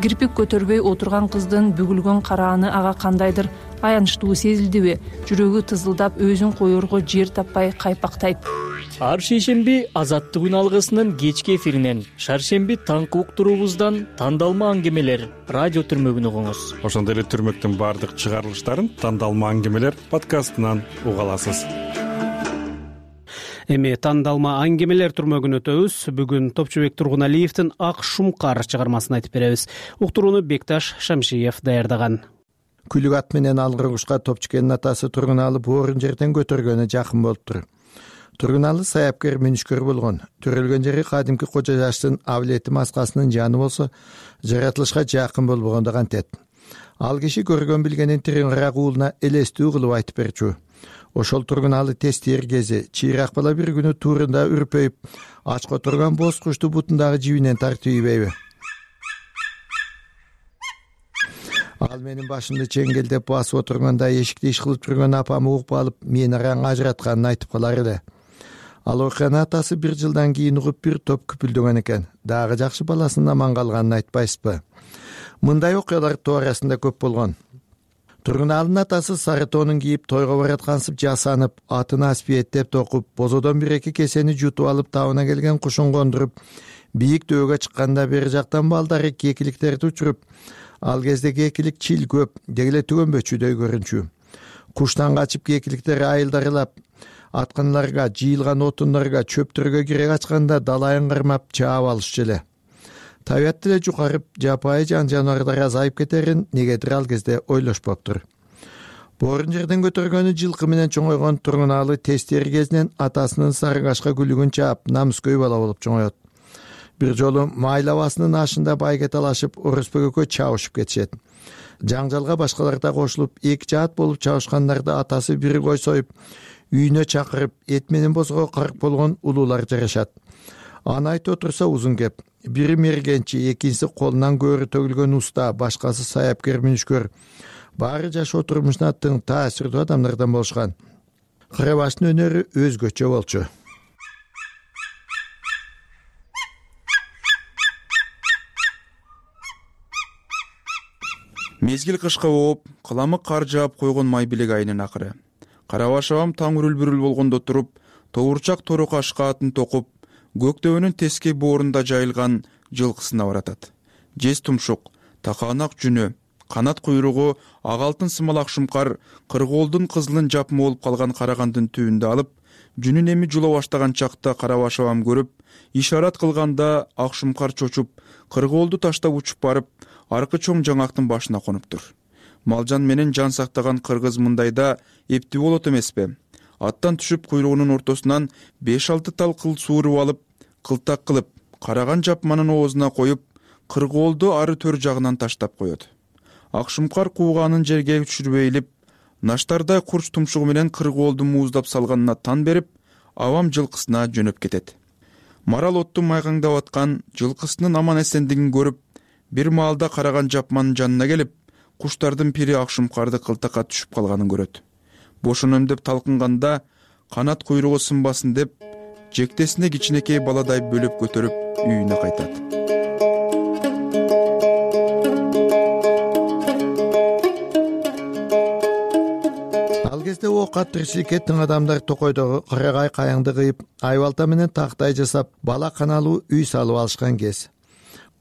[SPEAKER 14] Кирпик көтөрбөй отурган кыздын бүгүлгөн карааны ага кандайдыр аянычтуу сезилдиби? Жүрөгү тызылдап, өзүн коерго жер таппай кайпактайт.
[SPEAKER 11] Ар шейшемби Азаттык үн алгысынын кечки эфиринен, шаршемби таңкы уктуруубуздан тандалма аңгемелер радио түрмөгүн угуңуз.
[SPEAKER 13] Ошондой эле түрмөктүн бардык чыгарылыштарын тандалма аңгемелер подкастынан уга аласыз.
[SPEAKER 2] Эми тандалма аңгемелер түрмөгүн өтөбүз. Бүгүн Топчубек Тургуналиевдин Ак Шумкар чыгармасын айтып беребиз. Уктурууну Бекташ Шамшиев даярдаган.
[SPEAKER 15] Күлүк ат менен алгыргучка Топчукенин атасы Тургуналы боорун жерден көтөргөнү жакын болуптур. Тургуналы саяпкер мүнүшкөр болгон. Төрөлгөн жери кадимки кожо жаштын Авлети маскасынын жаны болсо, жаратылышка жакын болбогондо кантет. Ал киши көргөн билгенин тиреңирак уулуна элестүү кылып айтып берчү. Ошол Тургуналы тестер кези чыйрак бала бир күнү туурунда үрпөйүп, ачка турган боз кушту бутундагы жибинен тартып ийбейби? Ал менин башымды чеңгелдеп басып отурганда эшикти иш кылып жүргөн апам угуп алып, мени араң ажыратканын айтып калар эле. Ал окуяны атасы бир жылдан кийин угуп бир топ күпүлдөгөн экен. Дагы жакшы баласынын аман калганын айтпайсызбы? Мындай окуялар тоо арасында көп болгон. Тургуналынын атасы сары тоонун кийип, тойго бараткансып жасанып, атын аспиеттеп токуп, бозодон бир эки кесени жутуп алып, табына келген кушун кондуруп, бийик дөөгө чыкканда бери жактан балдары кекиликтерди учуруп, ал кезде кекилик чил көп, дегеле түгөнбөчүдөй көрүнчү. Куштан качып кекиликтер айылдарылап, атканларга, жыйылган отундарга, чөптөргө кире качканда далайын кырмап чаап алышчу эле. Табият деле жукарып, жапайы жан жаныбарлар азайып кетерин негедир ал кезде ойлошпоптур. Боорун жерден көтөргөнү жылкы менен чоңойгон Тургуналы тестери кезинен атасынын сарыгашка күлүгүн чаап, намыскөй бала болуп чоңоет. Бир жолу майлабасынын ашында байге талашып, ороспөгөккө чабышып кетишет. Жаңжалга башкалар да кошулуп, эки жаат болуп чабышкандарда атасы бир кой союп, үйүнө чакырып, эт менен бозго карк болгон улуулар жарашат. Аны айтып отурса узун кеп. Бири мергенчи, экинчиси колунан көөрү төгүлгөн уста, башкасы саяпкер мүнүшкөр. Баары жашоо турмушуна тың таасирдүү адамдардан болушкан. Карабаштын өнөрү өзгөчө болчу.
[SPEAKER 17] Мезгил кышка ооп, кыламык кар жаап койгон май билек айынын акыры. Карабаш абам таң үрүл-бүрүл болгондо туруп, тоурчак тору кашка атын токуп, көктөбөнүн тескей боорунда жайылган жылкысына баратат. Жез тумшук, такаанак жүнү, канат куйругу ак алтын сымал Ак Шумкар кыргоолдун кызылын жапмы болуп калган карагандын түбүндө алып, жүнүн эми жула баштаган чакта Карабаш абам көрүп, ишарат кылганда Ак Шумкар чочуп, кыргоолду таштап учуп барып, аркы чоң жаңактын башына конуптур. Малжан менен жан сактаган кыргыз мындайда эптүү болот эмеспи? Аттан түшүп куйругунун ортосунан беш алты тал кыл сууруп алып, кылтак кылып, караган жапманын оозуна коюп, кыргоолду ары төр жагынан таштап коет. Ак Шумкар кууганын жерге түшүрбөй илип, наштардай курч тумшугу менен кыргоолду мууздап салганына тан берип, абам жылкысына жөнөп кетет. Марал отту майгаңдап аткан жылкысынын аман эсендигин көрүп, бир маалда караган жапманын жанына келип, куштардын пири Ак Шумкарды кылтакка түшүп калганын көрөт. Бошоном деп талкынганда, канат куйругу сынбасын деп, жектесине кичинекей баладай бөлөп көтөрүп үйүнө кайтат.
[SPEAKER 15] Ал кезде оокат тиричиликке тың адамдар токойдогу карагай каяңды кыйып, айбалта менен тактай жасап, бала каналуу үй салып алышкан кез.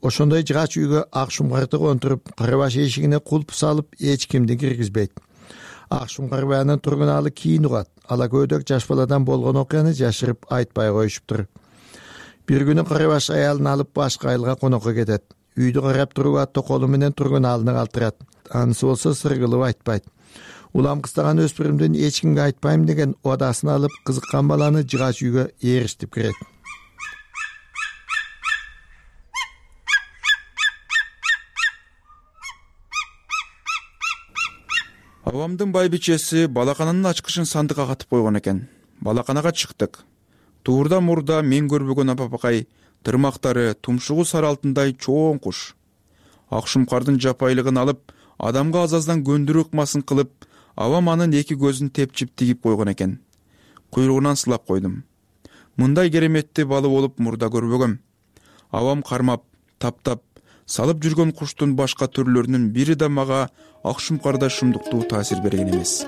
[SPEAKER 15] Ошондой жыгач үйгө ак шумкарды контуруп, кырбаш эшигине кулп салып, эч кимди киргизбейт. Ак шумкар баянын тургуналы кийин угат. Ала көйдөк жаш баладан болгон окуяны жашырып айтпай коюшуптур. Бир күнү кырбаш аялын алып башка айылга конокко кетет. Үйдү карап турууга токолу менен тургуналыны калтырат. Анысы болсо сыр кылып айтпайт. Улам кыстаган өспүрүмдүн эч кимге айтпайм деген одасын алып, кызыккан баланы жыгач үйгө ээришип кирет.
[SPEAKER 17] Абамдын байбичеси балакананын ачкычын сандыкка катып койгон экен. Балаканага чыктык. Туурда мурда мен көрбөгөн апапакай, тырмактары тумшугу сары алтындай чоң куш. Ак шумкардын жапайлыгын алып, адамга азаздан көндүрүү ыкмасын кылып, абам анын эки көзүн тепчип тигип койгон экен. Куйругунан сылап койдум. Мындай кереметти балы болуп мурда көрбөгөм. Абам кармап, таптап, салып жүргөн куштун башка түрлөрүнүн бири да мага ак шумкарда шумдуктуу таасир берген эмес.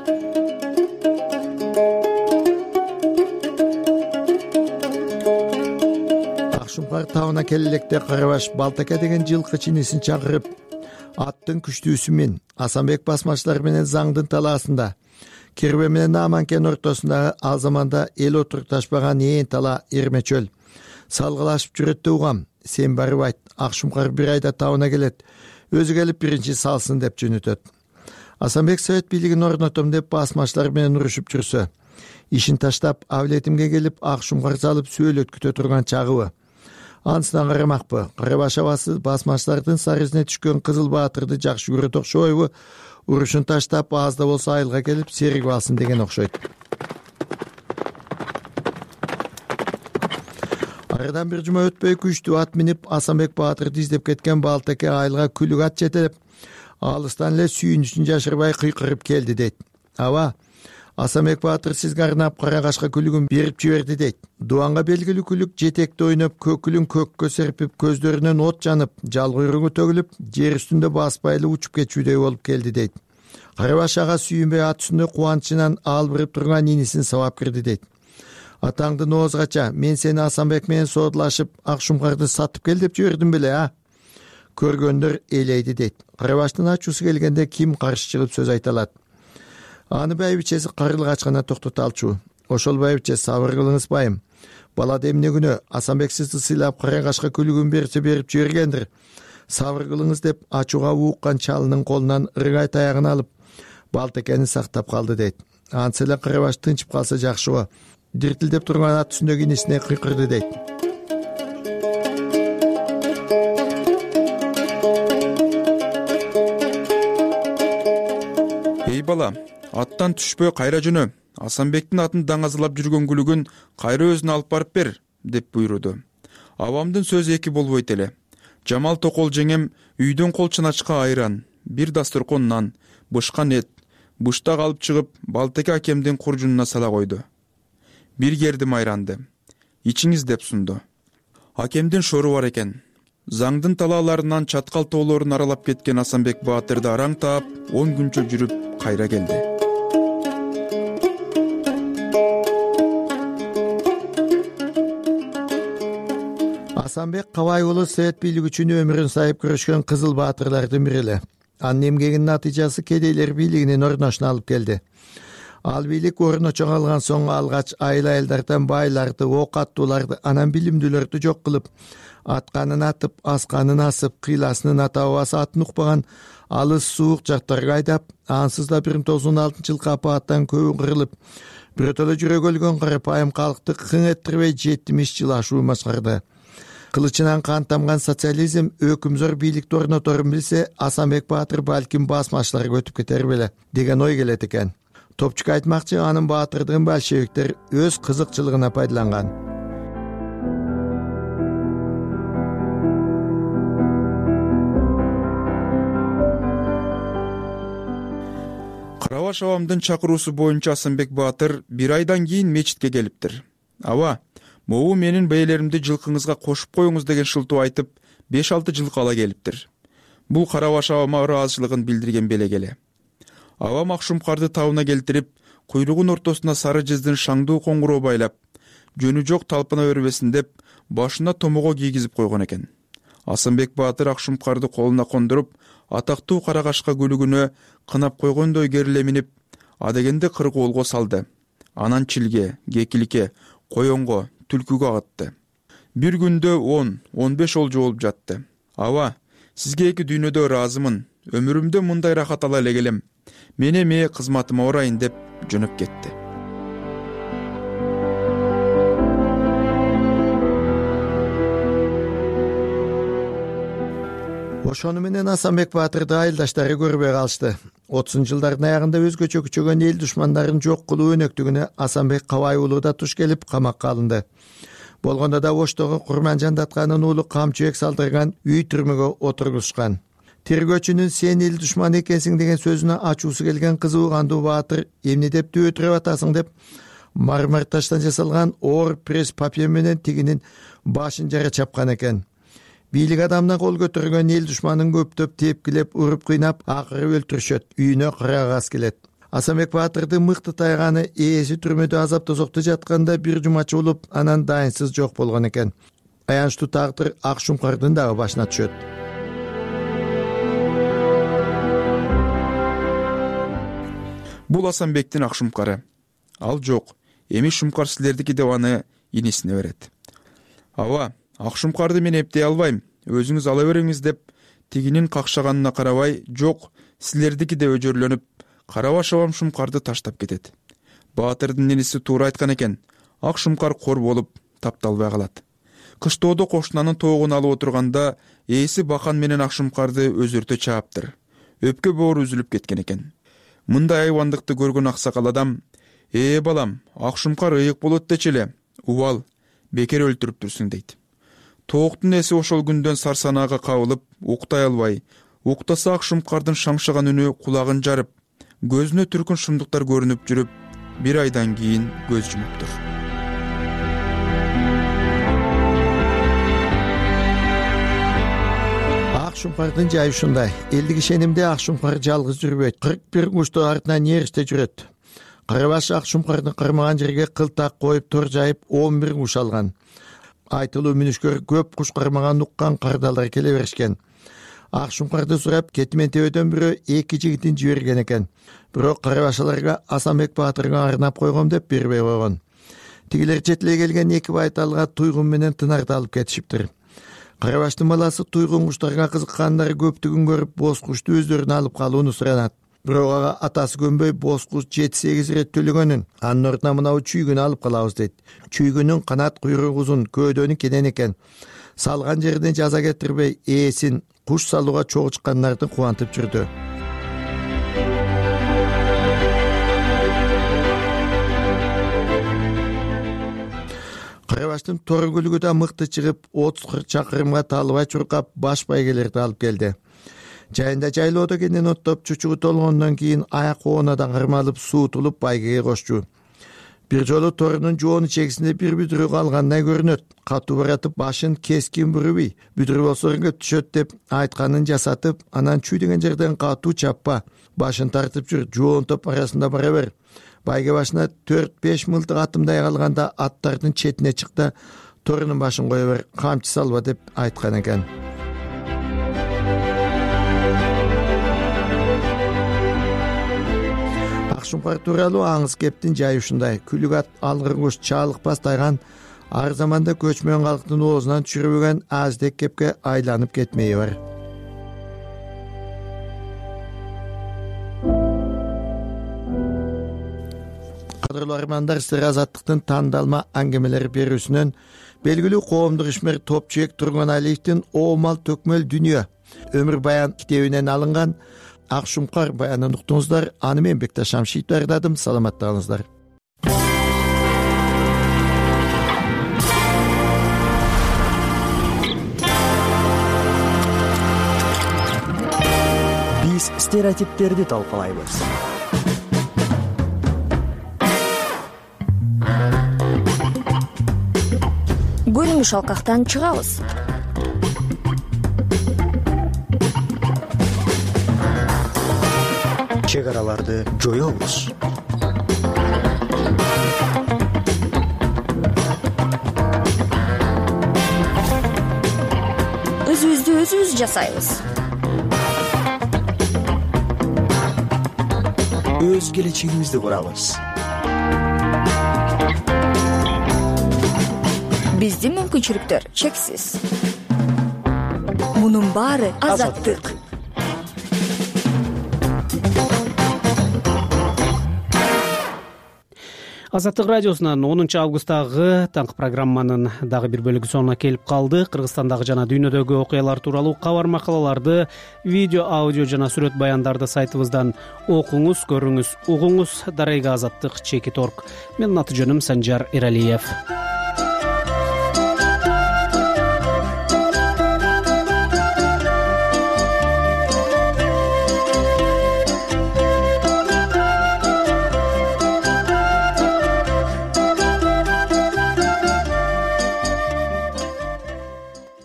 [SPEAKER 15] Ак шумкар табына келелекте Карабаш Балтаке деген жылкы чинисин чакырып, аттын күчтүүсү мен Асанбек басмачылар менен Заңдын талаасында, Кирбе менен Аманкен ортосундагы ал заманда эл отурташпаган ээн тала эрмечөл салгылашып жүрөт деп угам. Сен барып айт, ак шумкар бир айда табына келет, өзү келип биринчи салсын деп жөнөтөт. Асанбек совет бийлигин орнотом деп басмачылар менен урушуп жүрсө, ишин таштап Авлетимге келип ак шумкар салып сөөлөткүтө турган чагыбы. Анысынан карамакпы, Карабаш абасы басмачылардын сарызине түшкөн Кызыл Баатырды жакшы көрөт окшойбу, урушун таштап аз да болсо айылга келип серигип алсын деген окшойт. Арадан бир жума өтпөй күчтүү ат минип Асанбек Баатырды издеп кеткен Балтаке айылга күлүк ат жетелеп, алыстан эле сүйүнүшүн жашырбай кыйкырып келди дейт. Аба, Асанбек Баатыр сизге арнап Карагашка күлүгүн берип жиберди дейт. Дуанга белгилүү күлүк жетекте ойноп, көкүлүн көккө серпип, көздөрүнөн от жанып, жал куйругу төгүлүп, жер үстүндө баспайлы учуп кетчүдөй болуп келди дейт. Карабаш ага сүйүнбөй ат үстүндө кубанычынан албырып турган инисин сабап кирди дейт. Атаңдын оозгача мен сени Асанбек менен соодулашып ак шумкарды сатып кел деп жибердим беле, а? Көргөндөр элейди дейт. Карабаштын ачуусу келгенде ким каршы чыгып сөз айта алат? Аны байбичеси карылгач гана токтото алчу. Ошол байбиче сабыр кылыңыз байым. Балада эмне күнөө Асанбек сизди сыйлап Карагашка күлүгүн берсе берип жибергендир. Сабыр кылыңыз деп ачууга ууккан чалынын колунан ыргай таягын алып Балтакени сактап калды дейт. Ансы эле Карабаш тынчып калса жакшы го. Диртилдеп турган ат үстүндөгү инисине кыйкырды дейт.
[SPEAKER 17] Эй бала, аттан түшпөй кайра жөнө. Асанбектин атын даңазалап жүргөн күлүгүн кайра өзүнө алып барып бер, деп буйруду. Абамдын сөзү эки болбойт эле. Жамал Токол жеңем үйдөн кол чаначка айран, бир дасторкон нан, бышкан эт, быштак алып чыгып Балтаке акемдин куржунуна сала койду. Бир гердим айранды. Ичиңиз деп сунду. Акемдин шору бар экен. Заңдын талааларынан чаткал тоолорун аралап кеткен Асанбек Баатырды араң таап, он күнчө жүрүп кайра келди.
[SPEAKER 15] Асанбек Кабай уулу совет бийлиги үчүн өмүрүн сайып күрөшкөн Кызыл Баатырлардын бири эле. Анын эмгегинин натыйжасы кедейлер бийлигинин орношуна алып келди. Ал бийлик орночо калган соң алгач айыл айылдардан байларды, ок аттууларды, анан билимдүүлөрдү жок кылып, атканын атып, асканын асып, кыйласынын ата бабасы атын укпаган алыс суук жактарга айдап, ансыз да бир миң тогуз жүз он алтынчы жылкы апааттан көбү кырылып, бирөтөлө жүрөгү өлгөн карапайым калкты кың эттирбей жетимиш жыл ашуу башкарды. Кылычынан кан тамган социализм өкүмзөр бийликти орноторун билсе, Асанбек Баатыр балким басмачыларга өтүп кетер беле деген ой келет экен. Топчук айтмакчы, анын Баатырдын большевиктер өз кызыкчылыгына пайдаланган.
[SPEAKER 17] Карабаш абамдын чакыруусу боюнча Асанбек Баатыр бир айдан кийин мечитке келиптир. Аба, могу менин бээлеримди жылкыңызга кошуп коюңуз деген шылтоо айтып беш алты жылкы ала келиптир. Бул Карабаш абама ыраазычылыгын билдирген белек. Абам Акшумкарды табына келтирип, куйругун ортосуна сары жездин шаңдуу коңгуроо байлап, жөнү жок талпына бербесин деп башына томого кийгизип койгон экен. Асанбек Баатыр Акшумкарды колуна кондуруп, атактуу Каракашка күлүгүнө кынап койгондой кериле минип, адегенде кыргоолго салды. Анан чилге, кекиликке, коёнго, түлкүгө агытты. Бир күндө он он беш олжо болуп жатты. Аба, сизге эки дүйнөдө ыраазымын. Өмүрүмдө мындай рахат ала эле келем. Мен эми кызматыма орайын деп жөнөп кетти.
[SPEAKER 15] Ошону менен Асанбек Баатырды айылдаштары көрбөй калышты. отузунчу жылдардын аягында өзгөчө күчөгөн эл душмандарын жок кылуу өнөктүгүнө Асанбек Кабай уулу да туш келип камакка алынды. Болгондо да Оштогу Курманжан Датканын уулу Камчыбек салдырган үй түрмөгө отургузушкан. Тергөөчүнүн сен эл душманы экенсиң деген сөзүнө ачуусу келген кызы угандуу Баатыр эмне деп дөөтүрөп атасың деп мармар таштан жасалган оор пресс папье менен тигинин башын жара чапкан экен. Бийлик адамына кол көтөргөн эл душманын көптөп тепкилеп, уруп кыйнап, акыры өлтүрүшөт, үйүнө кырагас келет. Асанбек Баатырдын мыкты тайганы ээси түрмөдө азап тозокто жатканда бир жумача болуп, анан дайынсыз жок болгон экен. Аянычтуу тагдыр Акшумкардын дагы башына түшөт.
[SPEAKER 17] Бул Асанбектин Акшумкары. Ал жок, эми Шумкар силердики деп аны инисине берет. Аба, Акшумкарды мен эптей албайм, өзүңүз ала бериңиз деп тигинин какшаганына карабай, жок, силердики деп өжөрлөнүп, Карабаш абам Шумкарды таштап кетет. Баатырдын иниси туура айткан экен. Акшумкар кор болуп тапталбай калат. Кыштоодо кошунанын тоогун алып отурганда ээси Бахан менен Акшумкарды өзөртө чааптыр. Өпкө боору үзүлүп кеткен экен. Мындай айбандыкты көргөн аксакал адам: "Ээ балам, Акшумкар ыйык болот дечи эле. Убал, бекер өлтүрүптүрсүң" дейт. Тооктун эси ошол күндөн сарсанаага кабылып, уктай албай, уктаса Акшумкардын шаңшыган үнү кулагын жарып, көзүнө түркүн шумдуктар көрүнүп жүрүп, бир айдан кийин көз жумуптур.
[SPEAKER 15] Акшумкардын жайы ушундай. Элдик ишенимде Акшумкар жалгыз жүрбөйт. кырк бир кушту артынан ээриште жүрөт. Карабаш Акшумкардын кырмаган жерге кылтак коюп тор жайып он бир куш алган. Айтылуу мүнүшкөр көп куш кармаган уккан кардалдар келе беришкен. Акшумкарды сурап кетимен тебеден бирөө эки жигитин жиберген экен. Бирок Карабашаларга Асанбек Баатырга арнап койгом деп бербей койгон. Тигилер четиле келген эки байталга туйгун менен тынарды алып кетишиптир. Карабаштын баласы туйгун куштарга кызыккандары көптүгүн көрүп боз кушту өздөрүнө алып калууну суранат. Бирок ага атасы көнбөй боз куш жети сегиз ирет төлөгөнүн, анын ордуна мынау чүйгүнү алып калабыз дейт. Чүйгүнүн канат куйругу узун, көөдөнү кенен экен. Салган жерден жаза кетирбей, ээсин куш салууга чогуу чыккандарды кубантып жүрдү. Карабаштын тор күлүгү да мыкты чыгып, отуз кырк чакырымга талыбай чуркап, баш байгелерди алып келди. Жайында жайлоодо кенен оттоп чучугу толгондон кийин аяк коонадан кармалып суутулуп байгеге кошчу. Бир жолу торунун жоonu чегисинде бир бүдүрү калгандай көрүнөт. Катуу баратып башын кескин бурубуй, бүдүрү болсо өргө түшөт деп айтканын жасатып, анан чүй деген жерден катуу чаппа, башын тартып жүр, жоон топ арасында бара бер. Байге башына төрт беш мылтык атымдай калганда аттардын четине чык да торунун башын кое бер, камчы салба деп айткан экен. Акшумкар тууралуу аңыз кептин жайы ушундай. Күлүк ат, алгыр куш, чаалыкпас тайган ар заманда көчмөн калктын оозунан түшүрбөгөн аздек кепке айланып кетмеyi бар. Кадырлуу армандар, сиздер Азаттыктын тандалма аңгемелери берүүсүнөн белгилүү коомдук ишмер Топчуек Тургуналиевдин Оомал төкмөл дүнүйө өмүр баян китебинен алынган Акшумкар баянын уктуңуздар. Аны мен Бекташ Шамшиев даярдадым. Саламатта калыңыздар.
[SPEAKER 16] Биз стереотиптерди талкалайбыз.
[SPEAKER 18] шалкактан чыгабыз.
[SPEAKER 16] чек араларды жоебуз.
[SPEAKER 18] Өзүбүздү өзүбүз жасайбыз.
[SPEAKER 16] Өз келечегибизди курабыз.
[SPEAKER 18] Биздин мүмкүнчүлүктөр чексиз. Мунун баары азаттык.
[SPEAKER 2] Азаттык радиосунан онунчу августтагы таңкы программанын дагы бир бөлүгү сонуна келип калды. Кыргызстандагы жана дүйнөдөгү окуялар тууралуу кабар макалаларды, видео, аудио жана сүрөт баяндарды сайтыбыздан окуңуз, көрүңүз, угуңуз. Дарайга азаттык чекит точка орг. Менин аты жөнүм Санжар Эралиев.